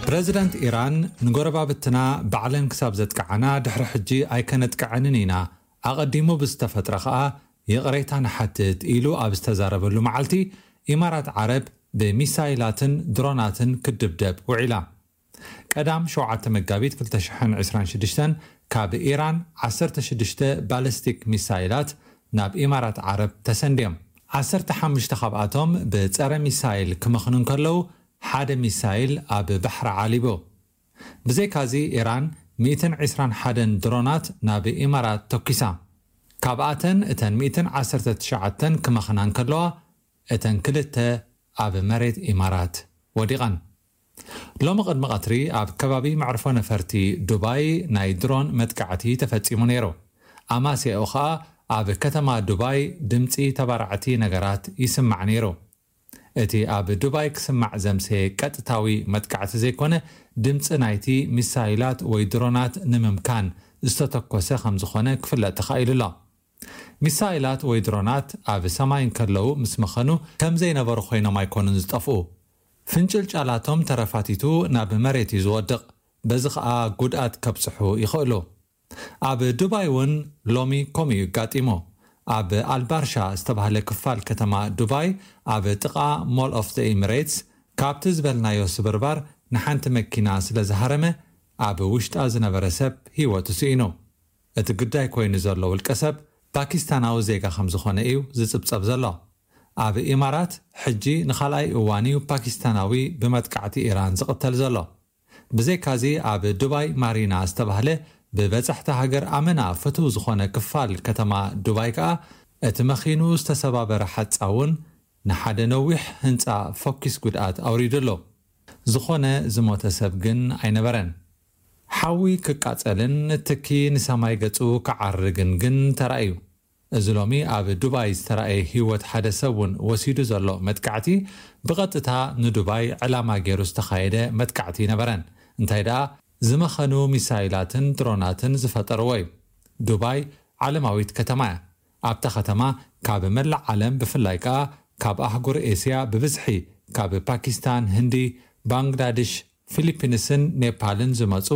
ፕረዚደንት ኢራን፣ ንጎረባብትና ባዕለን ክሳብ ዘጥቅዓና ድሕሪ ሕጂ ኣይከነጥቅዐንን ኢና፣ ኣቐዲሙ ብዝተፈጥረ ኸኣ ይቕሬታ ንሓትት ኢሉ ኣብ ዝተዛረበሉ መዓልቲ፣ ኢማራት ዓረብ ብሚሳይላትን ድሮናትን ክትድብደብ ውዒላ። ቀዳም ሸውዓተ መጋቢት ክልተ ሽሕን ዕስራን ሽዱሽተን ካብ ኢራን ዓሰርተ ሽዱሽተ ባለስቲክ ሚሳይላት ናብ ኢማራት ዓረብ ተሰንድዮም። ዓሰርተ ሓሙሽተ ካብኣቶም ብጸረ ሚሳይል ክመኽኑ እንከለዉ፣ ሓደ ሚሳይል ኣብ ባሕሪ ዓሊቡ። ብዘይካዚ፣ ኢራን ሚእትን ዕስራን ሓደን ድሮናት ናብ ኢማራት ተኲሳ። ካብኣተን እተን ሚእትን ዓሰርተ ትሽዓተን ክመኽና እንከለዋ፣ እተን ክልተ ኣብ መሬት ኢማራት ወዲቐን። ሎሚ ቅድሚ ቀትሪ ኣብ ከባቢ መዕርፎ ነፈርቲ ዱባይ ናይ ድሮን መጥቃዕቲ ተፈጺሙ ነይሩ። ኣማስያኡ ኸኣ ኣብ ከተማ ዱባይ ድምጺ ተባራዕቲ ነገራት ይስማዕ ነይሩ። እቲ ኣብ ዱባይ ክስማዕ ዘምሰየ ቀጥታዊ መጥቃዕቲ ዘይኮነ፣ ድምጺ ናይቲ ሚሳይላት ወይ ድሮናት ንምምካን ዝተተኮሰ ከም ዝኾነ ክፍለጥ ተኻኢሉ ኣሎ። ሚሳይላት ወይ ድሮናት ኣብ ሰማይ እንከለዉ ምስ መኸኑ ከም ዘይነበሩ ኮይኖም ኣይኮኑን ዝጠፍኡ። ፍንጭልጫላቶም ተረፋቲቱ ናብ መሬት እዩ ዝወድቕ። በዚ ኸኣ ጉድኣት ከብጽሑ ይኽእሉ። ኣብ ዱባይ እውን ሎሚ ከምኡ እዩ ኣጋጢሙ። ኣብ ኣልባርሻ ዝተባህለ ክፋል ከተማ ዱባይ፣ ኣብ ጥቓ ሞል ኦፍ ዘ ኤሚሬትስ፣ ካብቲ ዝበልናዮ ስብርባር ንሓንቲ መኪና ስለ ዝሃረመ፣ ኣብ ውሽጣ ዝነበረ ሰብ ህይወቱ ስኢኑ። እቲ ግዳይ ኮይኑ ዘሎ ውልቀ ሰብ ፓኪስታናዊ ዜጋ ከም ዝኾነ እዩ ዝጽብጸብ ዘሎ። ኣብ ኢማራት ሕጂ ንኻልኣይ እዋን እዩ ፓኪስታናዊ ብመጥቃዕቲ ኢራን ዝቕተል ዘሎ። ብዘይካዚ ኣብ ዱባይ ማሪና ዝተባህለ ብበጻሕቲ ሃገር ኣመና ፍቱው ዝኾነ ክፋል ከተማ ዱባይ ከኣ እቲ መኺኑ ዝተሰባበረ ሓጻውን ንሓደ ነዊሕ ህንጻ ፈኲስ ጉድኣት ኣውሪዱ ኣሎ። ዝኾነ ዝሞተ ሰብ ግን ኣይነበረን። ሓዊ ክቃጸልን ትኪ ንሰማይ ገጹ ክዓርግን ግን ተራእዩ። እዚ ሎሚ ኣብ ዱባይ ዝተራእየ ህይወት ሓደ ሰብ እውን ወሲዱ ዘሎ መጥቃዕቲ ብቐጥታ ንዱባይ ዕላማ ገይሩ ዝተኻየደ መጥቃዕቲ ኣይነበረን። እንታይ ደኣ ዝመኸኑ ሚሳይላትን ድሮናትን ዝፈጠርዎ እዩ። ዱባይ ዓለማዊት ከተማ እያ። ኣብታ ከተማ ካብ መላእ ዓለም ብፍላይ ከኣ ካብ ኣህጉር ኤስያ ብብዝሒ ካብ ፓኪስታን፣ ህንዲ፣ ባንግላድሽ፣ ፊሊፒንስን ኔፓልን ዝመጹ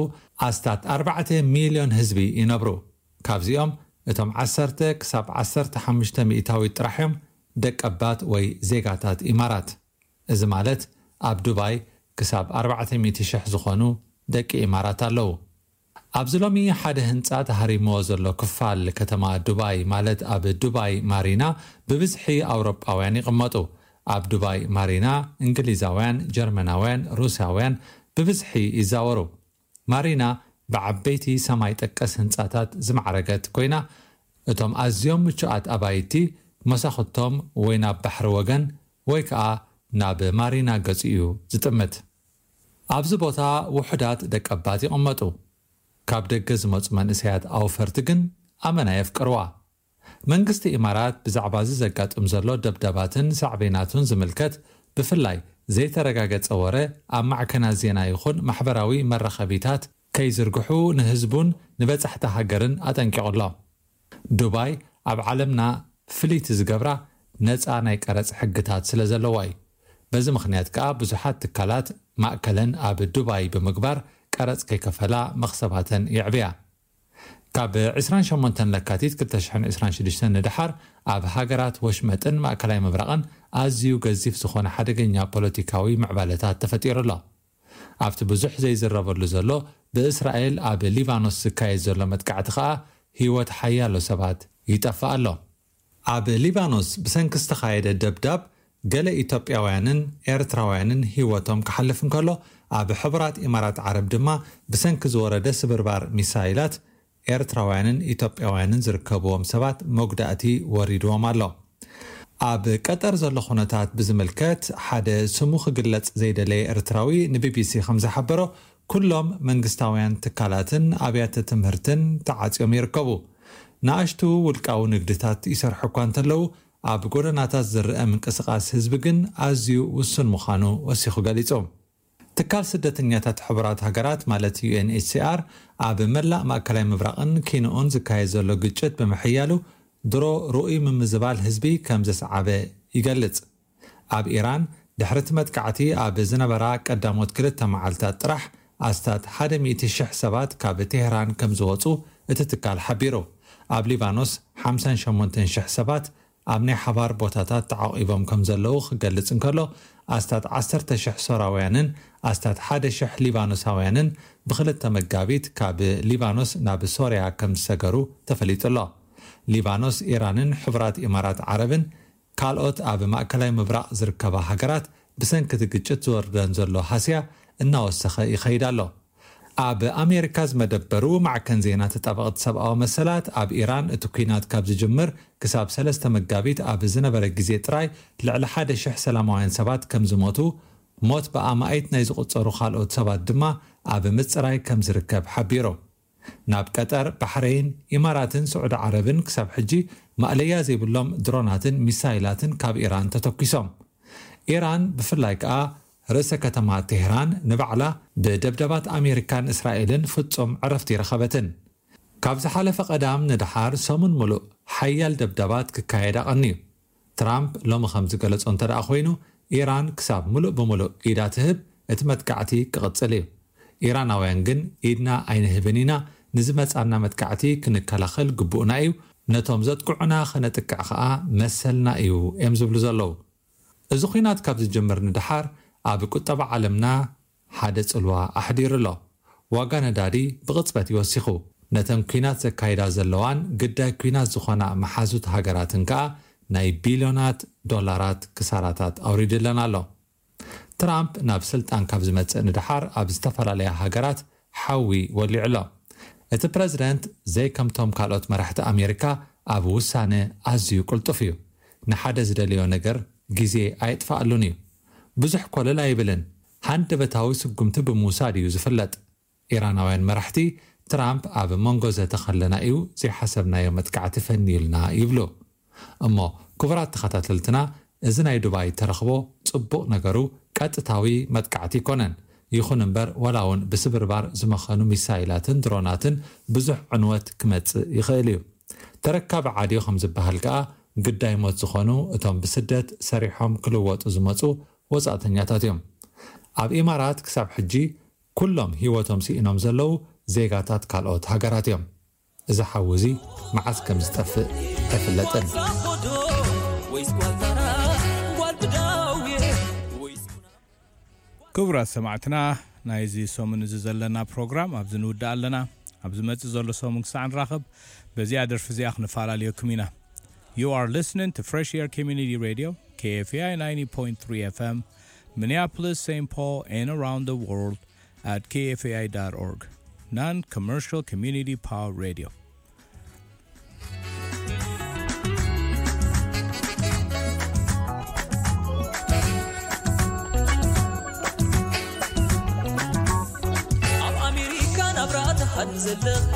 ኣስታት ኣርባዕተ ሚልዮን ህዝቢ ይነብሩ። ካብዚኦም እቶም ዓሰርተ ክሳብ ዓሰርተ ሓሙሽተ ሚእታዊት ጥራሕ እዮም ደቀባት ወይ ዜጋታት ኢማራት። እዚ ማለት ኣብ ዱባይ ክሳብ ኣርባዕተ ሚእቲ ሽሕ ዝኾኑ ደቂ ኢማራት ኣለዉ። ኣብዚ ሎሚ ሓደ ህንጻ ተሃሪምዎ ዘሎ ክፋል ከተማ ዱባይ፣ ማለት ኣብ ዱባይ ማሪና፣ ብብዝሒ ኣውሮጳውያን ይቕመጡ። ኣብ ዱባይ ማሪና እንግሊዛውያን፣ ጀርመናውያን፣ ሩስያውያን ብብዝሒ ይዛወሩ። ማሪና ብዓበይቲ ሰማይ ጠቀስ ህንጻታት ዝማዕረገት ኮይና፣ እቶም ኣዝዮም ምቹኣት ኣባይቲ መሳኹቶም ወይ ናብ ባሕሪ ወገን ወይ ከኣ ናብ ማሪና ገጹ እዩ ዝጥምት። ኣብዚ ቦታ ውሑዳት ደቀባት ይቕመጡ። ካብ ደገ ዝመጹ መንእሰያት ኣውፈርቲ ግን ኣመና የፍቅርዋ። መንግስቲ ኢማራት ብዛዕባ እዚ ዘጋጥም ዘሎ ደብዳባትን ሳዕቤናቱን ዝምልከት ብፍላይ ዘይተረጋገጸ ወረ ኣብ ማዕከናት ዜና ይኹን ማሕበራዊ መራኸቢታት ከይዝርግሑ ንህዝቡን ንበጻሕቲ ሃገርን ኣጠንቂቑ ኣሎ። ዱባይ ኣብ ዓለምና ፍልይቲ ዝገብራ ነጻ ናይ ቀረጽ ሕግታት ስለ ዘለዋ እዩ። በዚ ምኽንያት ከኣ ብዙሓት ትካላት ማእከለን ኣብ ዱባይ ብምግባር ቀረጽ ከይከፈላ መኽሰባተን የዕብያ። ካብ ዕስራን ሸሞንተን ለካቲት ክልተ ሽሕን ዕስራን ሽዱሽተን ንደሓር ኣብ ሃገራት ወሽመጥን ማእከላይ ምብራቕን ኣዝዩ ገዚፍ ዝኾነ ሓደገኛ ፖለቲካዊ ምዕባለታት ተፈጢሩ ኣሎ። ኣብቲ ብዙሕ ዘይዝረበሉ ዘሎ ብእስራኤል ኣብ ሊባኖስ ዝካየድ ዘሎ መጥቃዕቲ ከኣ ህይወት ሓያሎ ሰባት ይጠፍእ ኣሎ። ኣብ ሊባኖስ ብሰንኪ ዝተኻየደ ደብዳብ ገለ ኢትዮጵያውያንን ኤርትራውያንን ህይወቶም ክሓልፍ እንከሎ፣ ኣብ ሕቡራት ኢማራት ዓረብ ድማ ብሰንኪ ዝወረደ ስብርባር ሚሳይላት ኤርትራውያንን ኢትዮጵያውያንን ዝርከብዎም ሰባት መጉዳእቲ ወሪድዎም ኣሎ። ኣብ ቀጠር ዘሎ ኩነታት ብዝምልከት ሓደ ስሙ ክግለጽ ዘይደለየ ኤርትራዊ ንቢቢሲ ከም ዝሓበሮ፣ ኩሎም መንግስታውያን ትካላትን ኣብያተ ትምህርትን ተዓጽዮም ይርከቡ። ንኣሽቱ ውልቃዊ ንግድታት ይሰርሑ እኳ እንተለዉ፣ ኣብ ጎደናታት ዝረአ ምንቅስቓስ ህዝቢ ግን ኣዝዩ ውሱን ምዃኑ ወሲኹ ገሊጹ። ትካል ስደተኛታት ሕቡራት ሃገራት ማለት ዩ ኤን ኤች ሲ ኣር ኣብ መላእ ማእከላይ ምብራቕን ኪንኡን ዝካየድ ዘሎ ግጭት ብምሕያሉ ድሮ ርኡይ ምምዝባል ህዝቢ ከም ዘስዓበ ይገልጽ። ኣብ ኢራን ድሕሪ እቲ መጥቃዕቲ ኣብ ዝነበራ ቀዳሞት ክልተ መዓልታት ጥራሕ ኣስታት ሓደ ሚእቲ ሽሕ ሰባት ካብ ቴህራን ከም ዝወጹ እቲ ትካል ሓቢሩ። ኣብ ሊባኖስ ሓምሳን ሸሞንተን ሽሕ ሰባት ኣብ ናይ ሓባር ቦታታት ተዓቒቦም ከም ዘለዉ ክገልጽ እንከሎ፣ ኣስታት ዓሰርተ ሽሕ ሶራውያንን ኣስታት ሓደ ሽሕ ሊባኖሳውያንን ብክልተ መጋቢት ካብ ሊባኖስ ናብ ሶርያ ከም ዝሰገሩ ተፈሊጡ ኣሎ። ሊባኖስ፣ ኢራንን ሕቡራት ኢማራት ዓረብን ካልኦት ኣብ ማእከላይ ምብራቕ ዝርከባ ሃገራት ብሰንኪ እቲ ግጭት ዝወርደን ዘሎ ሃስያ እናወሰኸ ይኸይድ ኣሎ። ኣብ ኣሜሪካ ዝመደበሩ ማዕከን ዜና ተጣበቕቲ ሰብኣዊ መሰላት፣ ኣብ ኢራን እቲ ኲናት ካብ ዝጅምር ክሳብ ሰለስተ መጋቢት ኣብ ዝነበረ ግዜ ጥራይ ልዕሊ ሓደ ሽሕ ሰላማውያን ሰባት ከም ዝሞቱ፣ ሞት ብኣማኢት ናይ ዝቑጸሩ ካልኦት ሰባት ድማ ኣብ ምጽራይ ከም ዝርከብ ሓቢሩ። ናብ ቀጠር፣ ባሕረይን፣ ኢማራትን ስዑዲ ዓረብን ክሳብ ሕጂ ማእለያ ዘይብሎም ድሮናትን ሚሳይላትን ካብ ኢራን ተተኲሶም። ኢራን ብፍላይ ከኣ ርእሰ ከተማ ቴህራን ንባዕላ ብደብደባት ኣሜሪካን እስራኤልን ፍጹም ዕረፍቲ ይረኸበትን። ካብ ዝሓለፈ ቀዳም ንደሓር ሰሙን ምሉእ ሓያል ደብዳባት ክካየድ ኣቐንዩ። ትራምፕ ሎሚ ከም ዝገለጾ እንተ ደኣ ኮይኑ፣ ኢራን ክሳብ ምሉእ ብምሉእ ኢዳ ትህብ፣ እቲ መጥቃዕቲ ክቕጽል እዩ። ኢራናውያን ግን፣ ኢድና ኣይንህብን ኢና፣ ንዝመጻና መጥቃዕቲ ክንከላኸል ግቡእና እዩ፣ ነቶም ዘጥቅዑና ከነጥቅዕ ኸኣ መሰልና እዩ እዮም ዝብሉ ዘለዉ። እዚ ኲናት ካብ ዝጅምር ንደሓር ኣብ ቁጠባ ዓለምና ሓደ ጽልዋ ኣሕዲሩ ኣሎ። ዋጋ ነዳዲ ብቕጽበት እዩ ወሲኹ። ነተን ኲናት ዘካይዳ ዘለዋን ግዳይ ኲናት ዝኾና መሓዙት ሃገራትን ከኣ ናይ ቢልዮናት ዶላራት ክሳራታት ኣውሪድለን ኣሎ። ትራምፕ ናብ ስልጣን ካብ ዝመጽእ ንደሓር ኣብ ዝተፈላለያ ሃገራት ሓዊ ወሊዑ ኣሎ። እቲ ፕረዚደንት ዘይከምቶም ካልኦት መራሕቲ ኣሜሪካ ኣብ ውሳነ ኣዝዩ ቅልጡፍ እዩ። ንሓደ ዝደለዮ ነገር ግዜ ኣየጥፍኣሉን እዩ። ብዙሕ ኮለል ኣይብልን። ሃንደበታዊ ስጉምቲ ብምውሳድ እዩ ዝፍለጥ። ኢራናውያን መራሕቲ ትራምፕ ኣብ መንጎ ዘተኸለና እዩ ዘይሓሰብናዮ መጥቃዕቲ ፈንዩልና ይብሉ። እሞ ክቡራት ተኸታተልትና፣ እዚ ናይ ዱባይ ተረኽቦ ጽቡቕ ነገሩ ቀጥታዊ መጥቃዕቲ ኣይኮነን። ይኹን እምበር፣ ዋላ እውን ብስብርባር ዝመኸኑ ሚሳይላትን ድሮናትን ብዙሕ ዕንወት ክመጽእ ይኽእል እዩ። ተረካቢ ዓድዮ ከም ዝበሃል ከኣ፣ ግዳይ ሞት ዝኾኑ እቶም ብስደት ሰሪሖም ክልወጡ ዝመጹ ወጻእተኛታት እዮም። ኣብ ኢማራት ክሳብ ሕጂ ኩሎም ህይወቶም ስኢኖም ዘለዉ ዜጋታት ካልኦት ሃገራት እዮም። እዚ ሓዊ እዚ መዓስ ከም ዝጠፍእ ኣይፍለጥን። ክቡራት ሰማዕትና፣ ናይዚ ሰሙን እዚ ዘለና ፕሮግራም ኣብዚ ንውድእ ኣለና። ኣብ ዝመጽእ ዘሎ ሰሙን ክሳዕ ንራኸብ፣ በዚኣ ደርፊ እዚኣ ክንፈላለየኩም ኢና። You are listening to Fresh Air Community Radio, K F A I ninety point three F M, Minneapolis, Saint Paul, and around the world at K F A I dot org. Non-commercial community power radio. ኣብ ኣሜሪካ ናብራ ትሃኒ ዘለኺ፣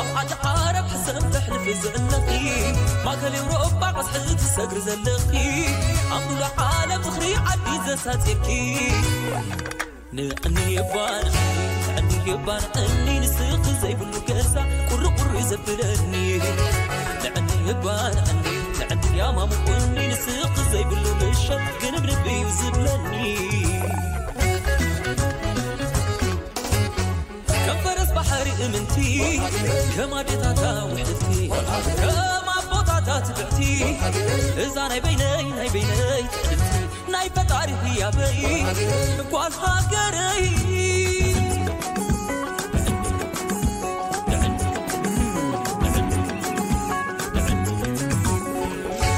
ኣብ ዓዲ ዓረብ ሕሰም ተሕልፊ ዘለኺ፣ ማእከል ኤውሮጳ ቀስሒ ትሰግሪ ዘለኺ፣ ኣብ ሙሉእ ዓለም ዝኽሪ ዓዲ ዘሳጺርኪ። ንዕኒ እባ ንዕኒ፣ ንዕኒ እባ ንዕኒ፣ ንስኺ ዘይብሉ ገዛ ቁሪ ቁሪ ዘብለኒ። ንዕኒ እባ ንዕኒ፣ ንዕኒ ያማሙቁኒ፣ ንስኺ ዘይብሉ ምሸት ግንብንብ እዩ ዝብለኒ። ከም ፈረስ ባሕሪ እምንቲ፣ ከም ኣዴታታ ውሕልቲ፣ ከም ኣቦታታ ትብዕቲ፣ እዛ ናይ በይነይ፣ ናይ በይነይ ትዕድልቲ፣ ናይ ፈጣሪ ህያበይ ጓል ሃገረይ።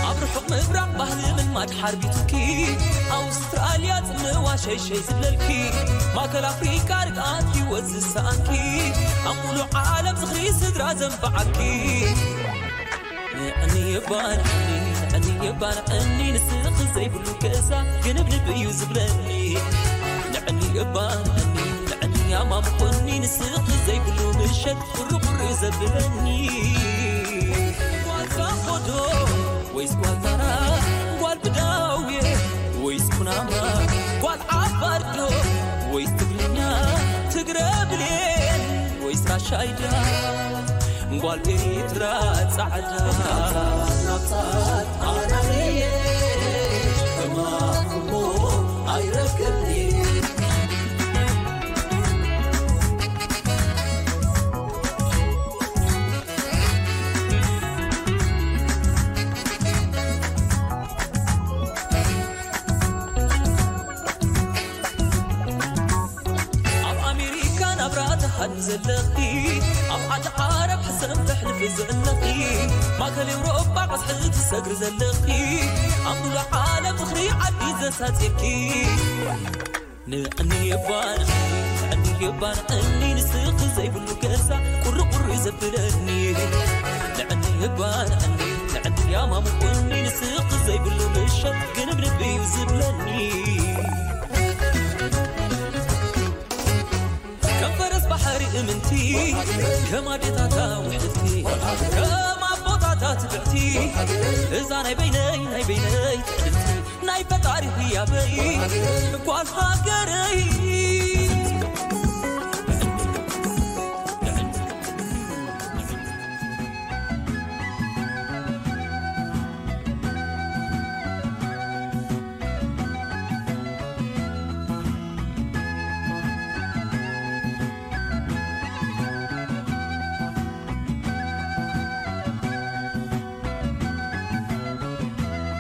ኣብ ርሑቕ ምብራቕ ባህሊ ምልማድ ሓርቢቱኪ፣ ኣውስትራልያ ጽምዋ ሸይሸይ ዝብለልኪ፣ ማእከል ኣፍሪቃ ርግኣት ህይወት ዝሰኣንኪ፣ ኣብ ሙሉእ ዓለም ዝኽሪ ስድራ ዘንበዓኪ። ንዕኒ እባ ንዕኒ፣ ንዕኒ እባ ንዕኒ፣ ንስኺ ዘይብሉ ገዛ ግንብንብ እዩ ዝብለኒ። ንዕኒ እባ ንዕኒ፣ ንዕኒ ያማሙቁኒ፣ ንስኺ ዘይብሉ ምሸት ቁሪ ቁሪ ዘብለኒ። ጓል ሳሆዶ ወይስ ጓል ታራ፣ ጓል ብዳውየ ወይስ ኩናማ፣ ጓል ዓፋር ዶ ወይስ ትግርኛ፣ ትግረ ብሌን ወይስ ራሻይዳ፣ ጓል ኤርትራ ጻዕዳ። ኣብ ኣሜሪካ ናብራ ትሃኒ ዘለኺ፣ ኣብ ዓዲ ዓረብ ሕሰም ተሕልፊ ዘለኺ፣ ማእከል ኤውሮጳ ቀስሒ ትሰግሪ ዘለኺ፣ ኣብ ሙሉእ ዓለም ዝኽሪ ዓዲ ዘሳጺርኪ። ንዕኒ እባ ንዕኒ፣ ንዕኒ እባ ንዕኒ፣ ንስኺ ዘይብሉ ገዛ ቁሪ ቁሪ ዘብለኒ። ንዕኒ እባ ንዕኒ፣ ንዕኒ ያማሙቁኒ፣ ንስኺ ዘይብሉ ምሸት ግንብንብ እዩ ዝብለኒ። ከም ፈረስ ባሕሪ እምንቲ፣ ከም ኣዴታታ ውሕልቲ፣ ከም ኣቦታታ ትብዕቲ፣ እዛ ናይ በይነይ፣ ናይ በይነይ ትዕድልቲ፣ ናይ ፈጣሪ ህያበይ ጓል ሃገረይ።